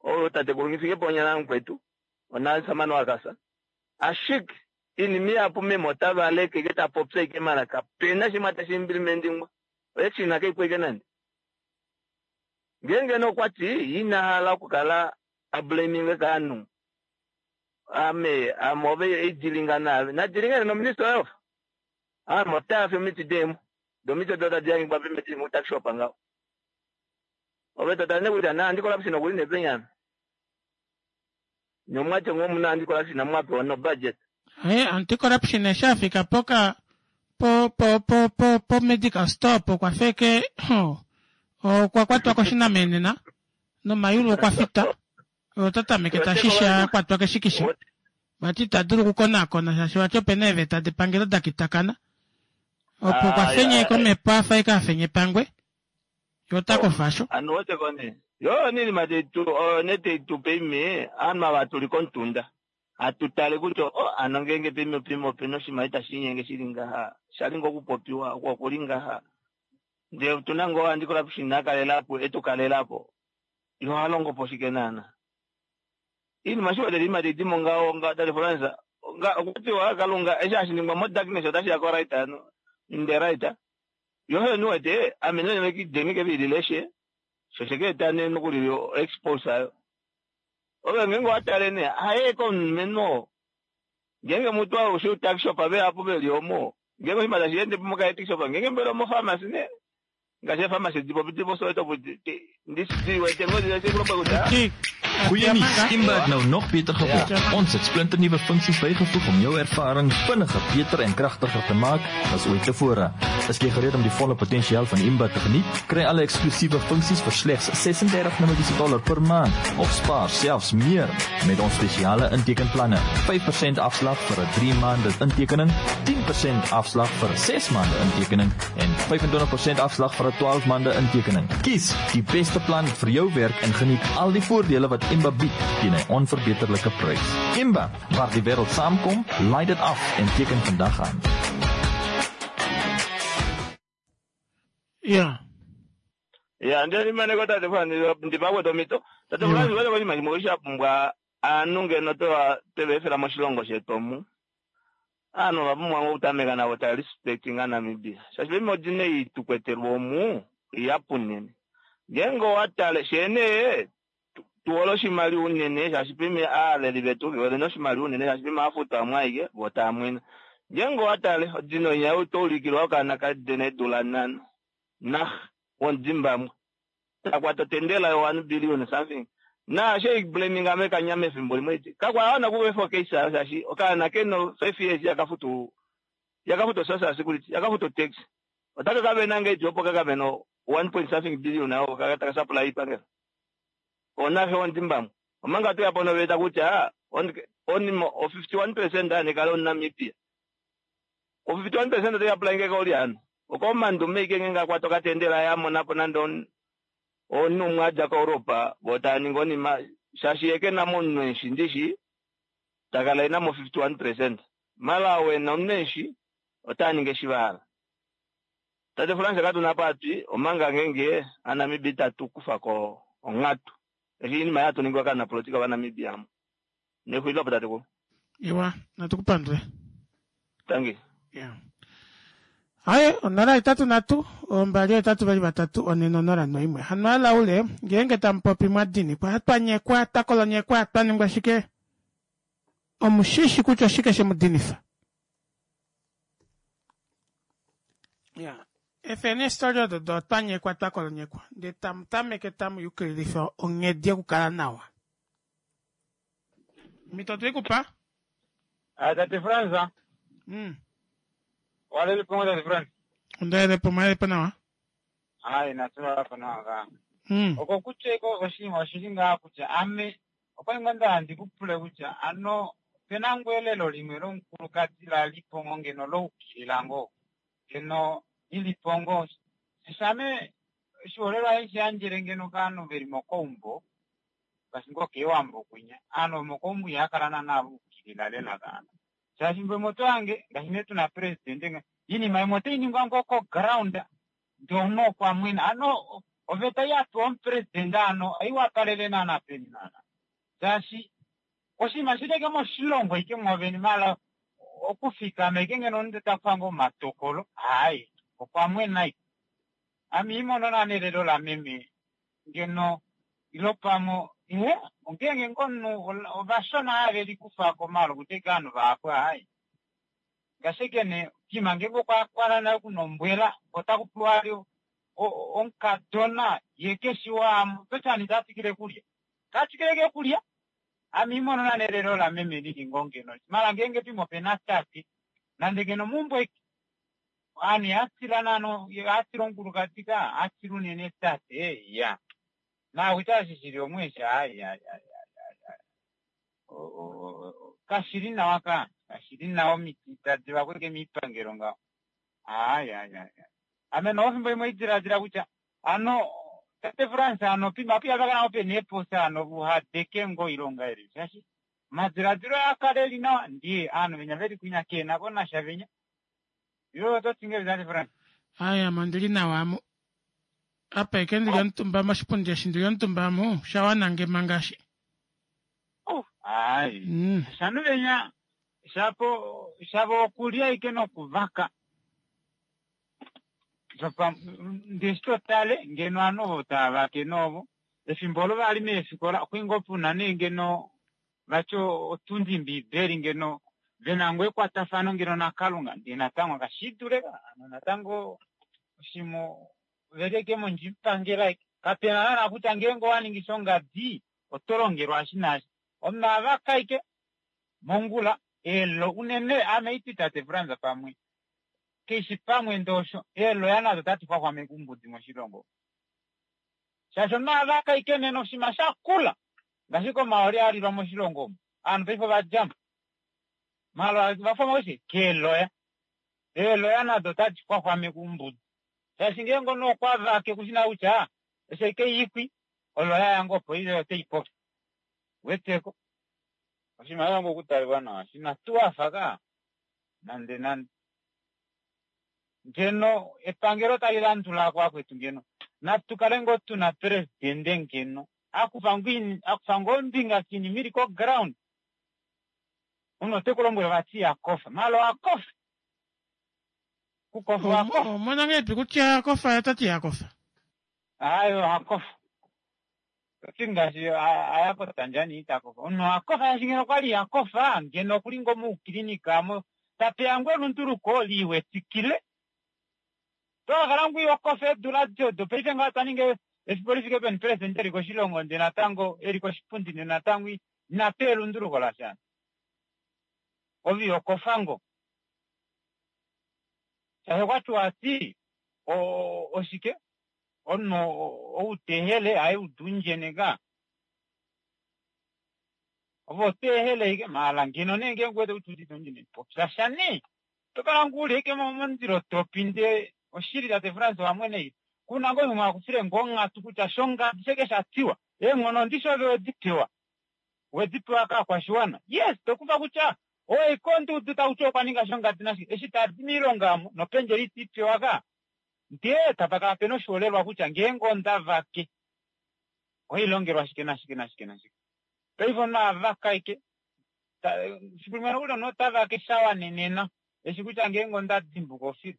o tate kulungifike ponya nankwetu ona samano akasa ashik inimi apo memo tavaleke keta popse ke maraka pena shimata shimplementing echina ke kweke nandi ngenge no kwati ina hala kukala ablaming kanu ame amove ejilinga na na jilinga no minister of amo tafi mitidemo domito doda jangi babe meti mutakshop anga obeto tane kuja na ndikola psino kuline penyana nyomwache ngomuna andikola psina mwape no budget eh anti corruption eshafika poka po po po po po medical store po kwa feke o kwa kwatwa koshina menena no mayulu kwa fita o tatameke tashisha kwatwa keshikisha bati tadulu kukona kona shashi wacho peneve tadepangelo dakitakana opo kwa fenye kome pa faika fenye pangwe yotako fasho anu wote kone yo nini matetu nete tupe ama watu likontunda atutale kuto o anongenge pime pimo pino shimaita shinyenge shilinga shalingo kupopiwa kwa kulinga nde tunango andikola kushina kalelapo etukalelapo yo halongo poshikenana ini mashuwa de lima de dimonga onga dale Florence nga kuti wa kalunga esha shiningwa mo darkness otashi ya right no in the right yo he no ete amene ne ki denge ke bileshe shosheke tane no kuri expose ayo obe ngengo atale ne haye kon meno ngenge mutu awo shu tax shop abe apo beliomo ngenge himala shiende pomoka tax shop ngenge mbelo mo pharmacy ne ngashe pharmacy dipo dipo so to ndisi wete ngodi se kuloba kuta. Goeie nuus, Imba het nou nog beter geword. Ja. Ons het splinternuwe funksies bygevoeg om jou ervaring vinniger, beter en kragtiger te maak as ooit tevore. Is jy gereed om die volle potensiaal van Imba te geniet? Kry alle eksklusiewe funksies vir slegs ses-en-dertig Namibiese dollar per maand of spaar selfs meer met ons spesiale intekenplanne. vyf persent afslag vir 'n drie maande intekening, tien persent afslag vir 'n ses maande intekening en vyf-en-twintig persent afslag vir 'n twaalf maande intekening. Kies die beste plan vir jou werk en geniet al die voordele wat Imba bied teen 'n onverbeterlike prys. Imba, waar die wêreld saamkom, laai dit af en teken vandag aan. Ja. Ya ndele maneko tate Frans ndipakwetu omhito. Tate Frans wete koshinima shimwe osho sha pumbwa aanhu ngeno twewa tweva efela moshilongo shetu omu. Aanhu ova pumbwa ngoo okutameka navo tava respectinga Namibia. Shaashi paife odina ei tukwetelwa omu ihapu unene. Ngeenge owa tale sheene tuhole oshimaliwa unene shaashi paife aaleli vetu vehole noshimaliwa unene shaashi paife ohafutwa amwe aike vo tava mwena. Ngeenge owa tale odina oinya oto ulikilwa okaana kadena eedula nhano nah womuzimbabwe takwata otendela yo one billion something naasho iblaminga mekanya mefimbo limwe iti kakwa wana kuvefa case ayo shaashi okaana kena five years yakafutu yakafuta social security yakafuta tax otaka kavena ngeipi opo kakavena one point something billion ayo kaka taka supply ipangelo onaxe wondimbamwe omanga toya po noveta kutya onima o fifty one percent anekale omunamibia o fifty one percent otai apply ngeke oli hano okomandume ike ngenge akwata okatendela yamonapo nande omunhu umwe adja koEuropa vo tava ningi onima shaashi ye kena mo omunhu eshi ndishi takala ena mo fifty one percent mala wena omunhu eshi otaa ningi eshi vahala. Tate France katuna apa atwi omanga ngenge aNamibia itatu kufa ko onghatu eshi inima yatu ningwa kaanapolitika vaNamibia amu. Nexulilo apo tatekulu. Iwa, natu kupandule. Tangi. Yeah. Aye, onola hetatu nhatu, ombali hetatu vali vatatu, one nonola noimwe. Hano alaule, ngeenge tamu popi mwa dinikwa, twa nyekwa, twa kolonyekwa, twa ningwa shike, omushishi kutya oshike she mu dinifa. Ya, efeni eestori odo do twa nyekwa, twa kolonyekwa, ndee tamu tameke tamu yukililifa onghedi yokukala nawa. Omhito otwe i ku pa. Ah, tate Fransa. Mm. Walele po tate Fransa. Ondalele po, mwalele po nawa. Ai, natula po nawa ka. Mm. Oko kutya iko oshinima oshili ngaa kutya ame okwali ngoo nda ndi kupule kutya ano pena ngoo elelo limwe lomukulukadi la lipo ngoo ngeno loukilila ngoo ngeno ilipo ngoo shame oshiholelwa eshi yandjele ngeno kaanhu veli mokoumbo ngaashi ngoo keewambo kwinya aanhu vomokoumbo ihakala naana vaukilila lela kaana shaashi mbwe moto yange ngaashi nee tuna presidente iinima imwe otai ningwa ngoo koground ndono okwa mwena ano oveta yapewa omupresidente ano aiwapalele naana peni naana shaashi oshinima shileke moshilongo ike mwoveni mala okufikama ike ngeno omunhu takufa ngoo omatokolo hayi okwa mwena ike ame imono naana elelo lameme ngeno ilo pamwe ihe ongenge ngoo omunhu ovashona have likufako malo kuti ike ovanhu vahapu hayi ngaashi ike nee kima ngenge okwa nale kuna ombwela otakupewa ali omukadona ye keshi waamo totani tatwikile kulya katwikileke kulya ame imono naana elelo lameme lili ngoo ngeno mala ngenge pimo opena tate nande ngeno meumbo eke ovanhu ihatila naana ihatila omukulukadi ka hatila unene tate ya naakutya eshi shili omweeshi hayi kashili nawa ka kashili nawa omiti tadi vakweke miipangelo ngaho hayi hayi ame nofimbo imwe idiladila kutya ano tate France ano pima piyavakana opena eeposi ano uhadeke ngoo oilonga eli shaashi omadiladilo akale eli nawa ndiye ovanhu venya veli kwinya kena ko nasha venya ilo ototi ngahelipi tate France? Aye ame ondili nawa amu apa eke ndili omutumba moshipundi eshi ndili omutumba amu osha nge manga eshi. Hayi mm. Shanu venya shapo shavo okulya ike nokuvaka ndeshi totale ngeno ovanhu ovo tava vake novo efimbo olo vali meefikola okwali ngoo puna nee ngeno vati otundi mbibeli ngeno vena ngoo ekwatafano ngeno nakalunga ndee natango kashidule ano natango oshimo veleke mondjipangela ike kapena naana kutya ngeenge owaningi shongadi oto longelwa eshi naashi omunhu avaka ike mongula elo unene ame iti tate Frans pamwe keishi pamwe ndosho eeloya nado tadi xwaxwameke oumbudi moshilongo shaashi omunhu avaka ike nena oshinima shakula ngaashi komaoli alilwa moshilongo omu ovanhu paife ovadjamo maala vafwama koshi keeloya eeloya nado tadi xwaxwameke oumbudi shaashi ngeenge omunhu okwa vake kushina kutya eshi ike ikwi oloya yange opo ile oteipopi weteko oshinima shange okutaliwa nawa shina tuwafa ka nande nande ngeno epangelo tali landulako akwetu ngeno Natu kale ngoo tuna presidente ngeno akufa ngoo akufa ngoo ombinga kiinima ili ko ground. Omunhu ote ku lombwele vati yakofa maala owakofa kukofa owakofa. Omona ngahelipi kutya akofa ye otati yakofa? Aaye owakofa oti ngaashi aya koTanzania ita kofa. Omunhu owakofa shaashi ngeno okwali yakofa ngeno okuli ngoo moukilinika mo tapeya ngoo elunduluko liiwetikile. Tokakala ngoo ihokofa eedula adishe odo paife ngaho twa ninga efiku lifike peni president eli koshilongo ndee natango eli koshipundi ndee natango inapewa elunduluko lasha. Ove ihokofa ngoo. Shaashi okwatiwa ati oshike omunhu ou tehele haye udundjene ka. Ove otehele ashike maala ngeno nee ngeenge uwete kutya udite ondjene popya sha nee. Tokala ngoo uli ashike momundilo topi ndee oshili tate Frans owamwene kuna ngoo umwe akufile ngoo onghatu kutya shongadi sheke shatiwa eenghono ndishi ove wedi pewa wedi pewa kaakwashiwana. Yes tokufa kutya owaika ondudu takuti okwa ninga shongadi nashike eshi tadi moilonga omo nopendjela itiipewa ka ndee tapakala pena oshiholelwa kutya ngeenge onda vake ohailongelwa shike nashike nashike nashike. Paife omunhu avaka ashike fiku limwe nokuli omunhu otavake shawanenena eshi kutya ngeenge onda dimbuka ofilu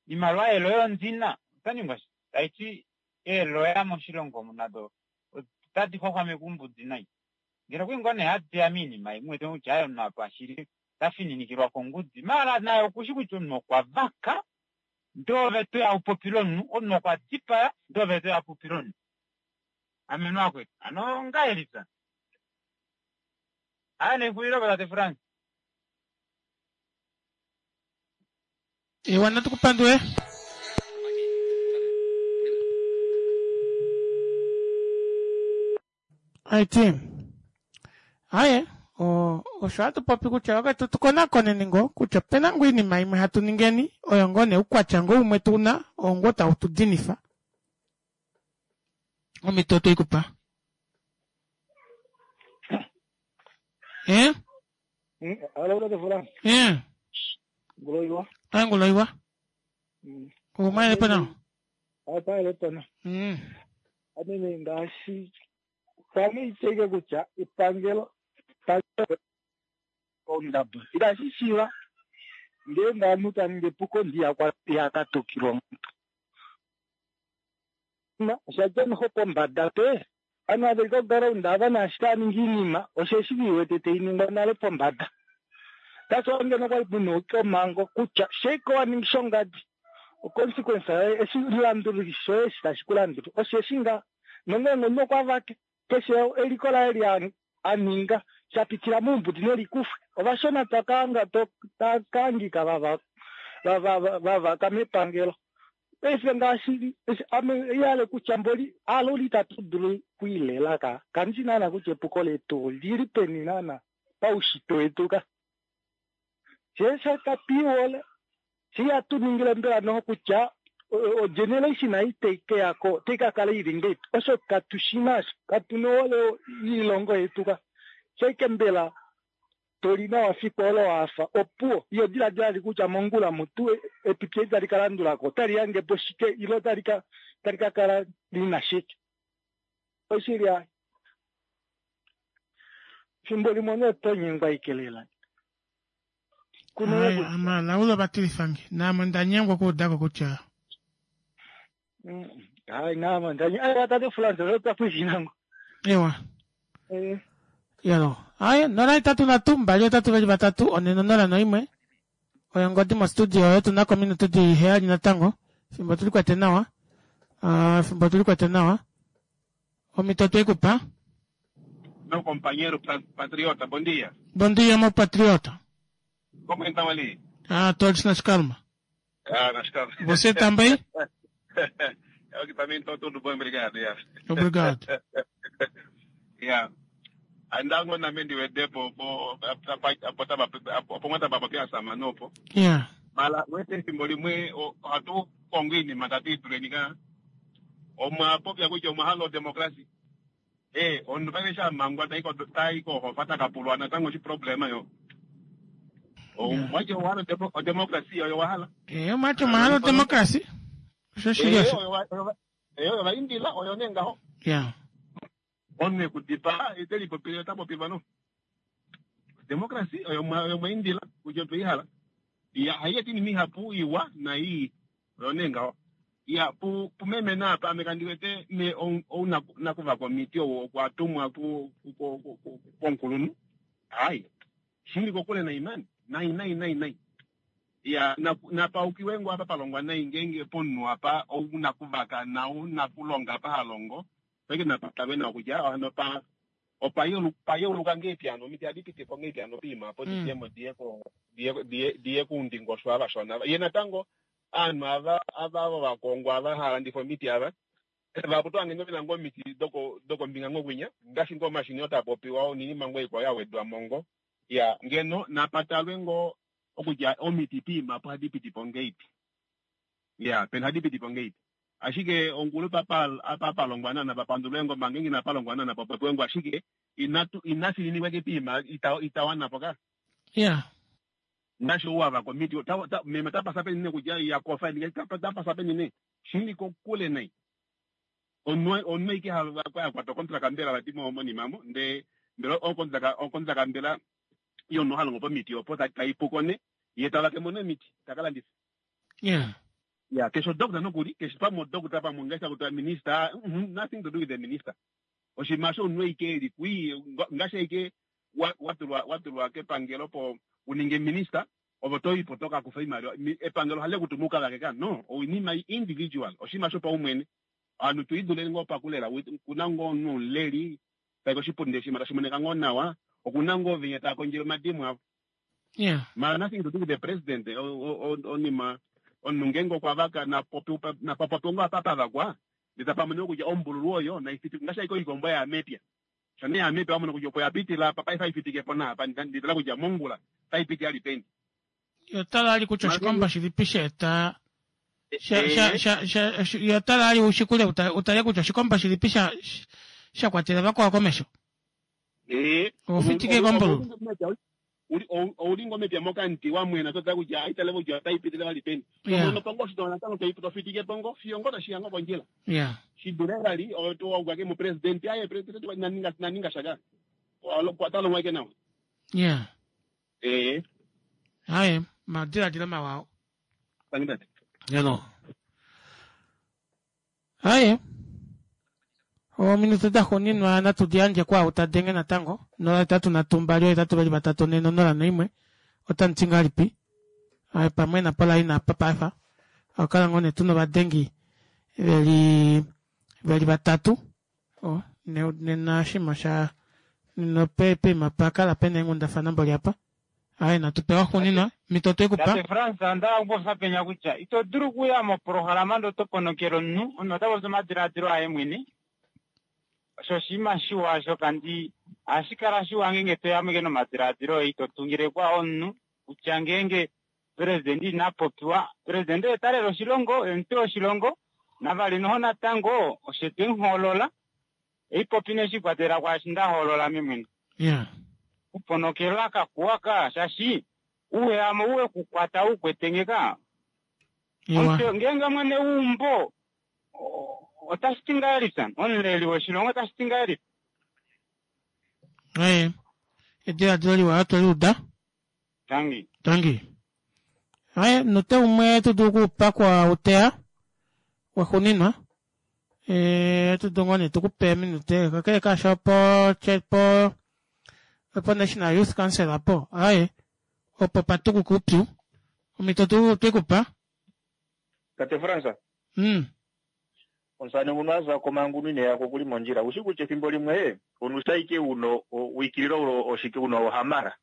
iimaliwa yeeloya ondina otaningwa shike taiti eeloya moshilongo omu nado otadi xwaxwameke oumbudi nai. Ngeno okuli ngoo nee hadiya moinima imwe uwete kutya aaye omunhu apa shili tafininikilwa kongudi maala naye okushi kutya omunhu okwa vaka ndee ove toya upopile omunhu, omunhu okwa dipaya ndee ove toya upopile omunhu. Amenwa akwetu hano ongahelipi hano? Aaye nexulilo tate Frans. Ewa natu kupandule. Aiti aye osho hatu popi kutya vakwetu tukonakoneni ngoo kutya opena ngoo oinima imwe hatu ningeni oyo ngoo nee oukwatya ngoo umwe tuna oo ngoo tau tu dinifa. Omhito otweikupa. Eh? Eh. Nguloiwa. Ah, nguloiwa. Umaelepo nawa? Apaelepo Mm. Amene ngaashi pamwe iteke kutya epangelo ondaba itashi shiva ngeenge omunhu ta ningi epuko ndi ihakatukilwa omuntu. Oshadja noho pombada pe ovanhu ava veli koground ava naashi tava ningi oinima osheshi viwete tainingwa nale pombada. That's why ngeno kwali puna omhango kutya sheike waningi shongadi oconsequence yoye eshi landuli shoye eshi tashi kulandula osheshi nga nongeenge omunhu okwa vake keshe eliko laye li aninga shapitila moumbudi nelikufwe ovashona twakaanga takahangika vava vavaka mepangelo. Paife ngaashi ame ihale kutya mboli aloli itatu dulu okwiilela ka kandishi naana kutya epuko letu olili peni naana paushitwe wetu ka. Shee katwiihole shee ihatu ningile mbela noho kutya ogeneration ei tai keyako otai kakala ili ngahelipi osho katushina osho katuna ohole yoilongo yetu ka. Shaike mbela toli nawa fiku olo wafa opuwo iyo diladila li kutya mongula mutu epipi eli tali kalandulako otali hangepo shike ile otali ka tali kakala lina shike. Oshili aaye fimbo limwe omunhu oto nyengwa ashike lela. Aye, amalaulo vatilifange naame onda nyengwa okuudako kutya hayi naame onda nyengwa tate Frans otwa pwilikina Ewa. Yalo. Aye, nola itatu nhatu mbali otatu veli vatatu one nonola noimwe oyo ongodi mostudio oyo tuna kominute dili heyali natango fimbo tulikwete nawa. Uh, fimbo tulikwete nawa. Omhito otweikupa. Meu companheiro patriota, bom dia. Bom dia, meu patriota. Como estão ali? Ah, todos nas calma. Ah, nas calmas. Você também? Eu que também estou tudo bem, obrigado. Yeah. Obrigado. Yeah. Andango na mendi wedepo po apongota baba pia samanopo. Yeah. Mala wete fimbo limwe hatu kongwini matatizo lenika. Omwa popya kutya omwa halo demokrasi. Eh, ondu pake sha mangwa taiko taiko hofata kapulwa natango shi problema yo. Omwacho wahalo demokrasi yo wahala. Eh, omwacho mahalo demokrasi. Osho shili osho. Eh, oyo vaindila oyo nee ngaho. Ya. Omunhu ekudipaa ite lipopile, ota popilwa no democracy oyo mwa- oyo mwaindila kutya otwe ihala. Ya, haiyeta iinima ihapu iwa naii, oyo nee ngaho. Ya, pu pumeme naapa ame kandi wete me ou ou naku- nakuvaka omiti ou okwa tumwa ku- ku- ku- ku- ku- komukulunhu. Hayi, shili kokule nai mani, nai nai nai nai. Ya, napu- napaukiwe ngo apa palongwa nai, ngeenge pomunhu apa ou nakuvaka nau nakulonga apa halongo paike napatalwe nawa kutya hano pa opa yeuluka ngeipi, hano omiti ohadi piti po ngeipi, hano piima apo didjemo diye ko diye diye diye kuundingosho ava shona. Ye natango aanhu ava ava vovakongwa ava hava landifa omiti ava vapo tohange vena ngoo omiti doko dokombinga ngoo kwinya, ngaashi ngoo omashini oo tapopiwa noinima ngoo ikwao ya wedwa mo ngo. Ya, ngeno napatalwe ngoo okutya omiti piima apo ohadi piti po ngeipi, ya, pena ohadi piti po ngeipi. Ashike ongulu papa apa palongwa nana papandulwe ngo manga ina palongwa nana papopiwe ngo, ashike inatu inafininikwa ke piima ita itawanapo ka. Ya. Ngaashi ou ava komiti ota- ta- meme tapasa penine kutya yakofa tapasa penine, shili kokule nai. Omunhu omunhu aike yakwata okontraka mbela vati mo- monima mo ndee mbela okontraka okontraka mbela yomunhu ha longo pomiti opo ta- taipuko ne ye tavake mo nemiti taka landifa. Ya. Ya, keshe odoctor nokuli, keshe pamwe odoctor, pamwe ngaashi takutiwa minister, mhm, nothing to do with the minister. Oshinima osho omunhu aike eli kwii ngaashi aike wa- watulwa watulwa kepangelo po uninge minister, ove toyipo tokakufa oimaliwa. Mi- epangelo ohali kutuma ukavake ka no oinima individual, oshinima shopaumwene. Ovanhu tuiduleni ngoo pakulela, kuna ngoo omunhu omuleli tai koshipundi, oshinima tashi monika ngoo nawa, okuna ngoo venya tava kondjele omadimo avo. Ya. Mara nothing to do with the president. O- o- o- onima omunhu ngeenge okwa vaka napopi napapopi ngo apa pavakwa, ndee tapamoniwa kutya ombululu oyo naifiti ngaashi aike oikombo yaamepya shane yaamepya wamona kutya opo yapitila apa paife aifitike po naapa, nditala kutya mongula taipiti ali peni. Yo tala ali kutya oshikombo shilipi sheeta sha sha sha sha yo tala ali ushikule uta- utale kutya oshikombo shilipi sha sha kwatela vakwao komesho. Eh, Ofitike kombululu. Ouli ngo mepya mokanti wamwena totala kutya aitale kutya otaipitile vali peni. Yeah. Tomono pongo oshitona natango toi- tofitike pongo fiyo ngo tashiya ngo kondjila. Ya. Shidule vali owaukake mupresident, aye president naninga naninga shaka talongwa ike nawa. Ya. Eh. Haye, madiladilo mawa. Tangi tate. Hello. Haye, ominute daxuuninwa natu diyandje kwaau tadenge natango nola hetatu nhatu mbali ohetatu vali vatatu nhe nonola noimwe otamuti ngahelipi. Aye, pamwe napola ina apa paifa akukala ngoo nee tuna ovadengi veli veli vatatu. Oh, ne- nena oshinima sha nena pe- peima pakala pena eenghundafana mboli apa. Aye, natu pewa xuuninwa mito twekupa. Tate Frans, onda kupopya penya kutya ito dulu okuya moprograma ndee oto ponokele omunhu, omunhu ota popi omadiladilo aye mwene. Osho oshinima shiwa osho kandi ohashi kala shiwa ngeenge toya mo nomadiladilo oye, ito tungile kwa omunhu kutya ngeenge president ina popiwa, president oye talela oshilongo, oye omutwe woshilongo, navali noho natango oshe twemuhoolola, eipopi neshikwatelela kwaashi ndahoolola ame mwene. Ya. Kuponokelwa kakuwa ka shaashi uweyamo uwe kukwata ukwetenge ka. Iwa. Omutwe ngeenge mwene weumbo o- otashi ti ngahelipi omuleli woshilongo otashi ti ngahelipi? Aye, ediladilo liwa otweliuda. Tangi. Tangi. Aye, note umwe tudulu okupakwa uteya waxuuninwa. Eh, tudulu ngoo nee tukupe minute kakele kaasho opo che- po opo National Youth Council apo. Aye, opo patukuka upyu omito tu twekupa. Tate Frans, mm. omusane nguno aza komangunu ine yako kuli mondjila. Ushi kutya ethimbo limwe onusaike uno wikililo ulo oshike uno ohamara.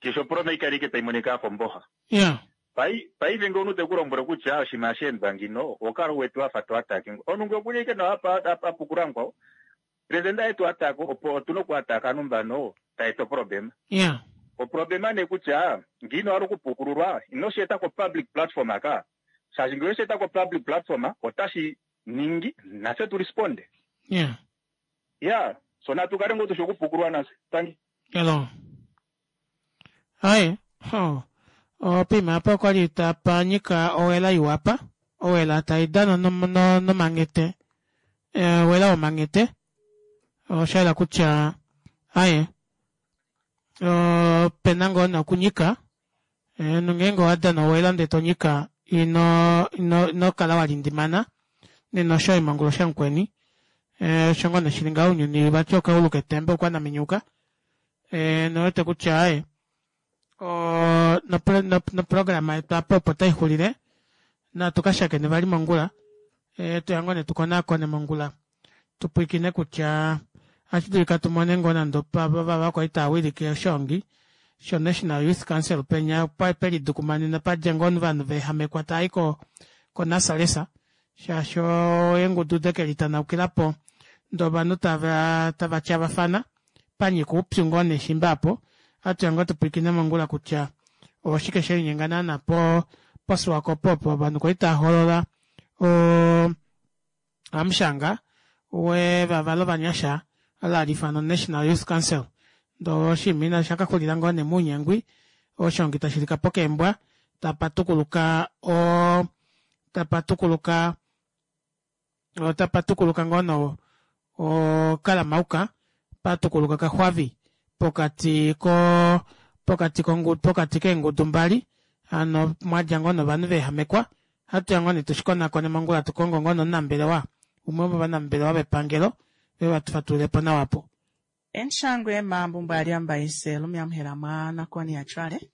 Keshe oproma ikali ike taimonika yafa omboha. Ya. Pai paife nge omuntu teku lombwele kutya oshinima sheendwa ngino okala uwete wafa to atake. Omunhu nge okuli ike nawa apa apa apukula mukwao. President aye ataka opo otuna oku ataka ovanhu mbano taeta oproblema. Ya. Oproblema nee kutya ngino wala okupukululwa ino shi eta ko public platform aka. Shaashi ngele oweshi eta ko public platform otashi ningi nafye tu responde. Ya. Ya, so natu kale ngoo tushi okupukulwa nafye. Tangi. Hello. Aye, ho. Opima apa okwali tapanyika owela iwa apa. Owela taidana nomanghete owela womanghete oshayela kutya aaye opena ngoo nee okunyika nongenge owadana owela ndee tonyika ino inokala walindimana nena oshoye mongula oshamukweni osho ngoo nee shili ngaho ounyuni vati okaulu ketemba oukwanaminyuka nouwete kutya aaye oo noprograma yetu aapa opo taixulile natu kashakene vali mongula hatuya ngoo nee tukonaakone mongula tupwiikine kutya ohashidulika tumone ngoo nande vava kwali taawilike oshoongi sho national youth council penya pelidukumanena padja ngoo ovanhu vaehamekwa taayi ko nasalesa shaashi eengudu dekelitanaukila ndee ovanhu tava tava tyavafana panyika oupyu ngoo nee shimba aapo ohatuya ngoo tupwiikine mongula kutya oshike shelinyenga naana poSwakopo opo ovanhu kwali taahoolola oo hamushanga wevava lovanyasha olo hali ifanwa national youth council ndee oshinima oshakaxulila ngoo nee mounyengwi oshongi tashilikapo keembwa tapatukuluka oo tapatukuluka tapatukuluka ngoo nee okalamauka patukuluka kaxwavi pokati koo pokati pokati keengudu mbali hano mwadja ngoo nee ovanhu vaehamekwa ohatuya ngoo nee tushikonakone mongula tukonge ngoo nee omunambelewa umwe womovanambelewa vepangelo veuye vatufatulilepo nawa aapo. Enshangwe mambo aliambaise lumiamuhela mwa nakoni ya cwale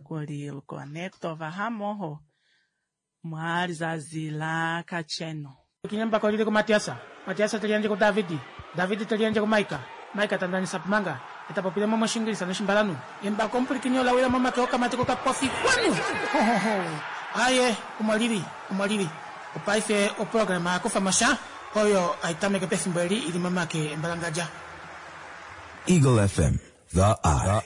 kuli lukone kutova hamoho mwa lizazi la kacenu. Kinyambako lili ku Matiasa, Matiasa teliandje ku Davidi, Davidi teliandje ku Maika, Maika tandanisa pumanga, etapopile mo moshingilisa noshimbalanu. Embako omupulikini ola wila momake okamati kokapofi kwanu! Hohoho! Aaye, omo lili, omo lili. Opaife oprograma ya kufa mo sha oyo hai tameke pefimbo eli ili momake embalangadja. Eagle F M, the eye.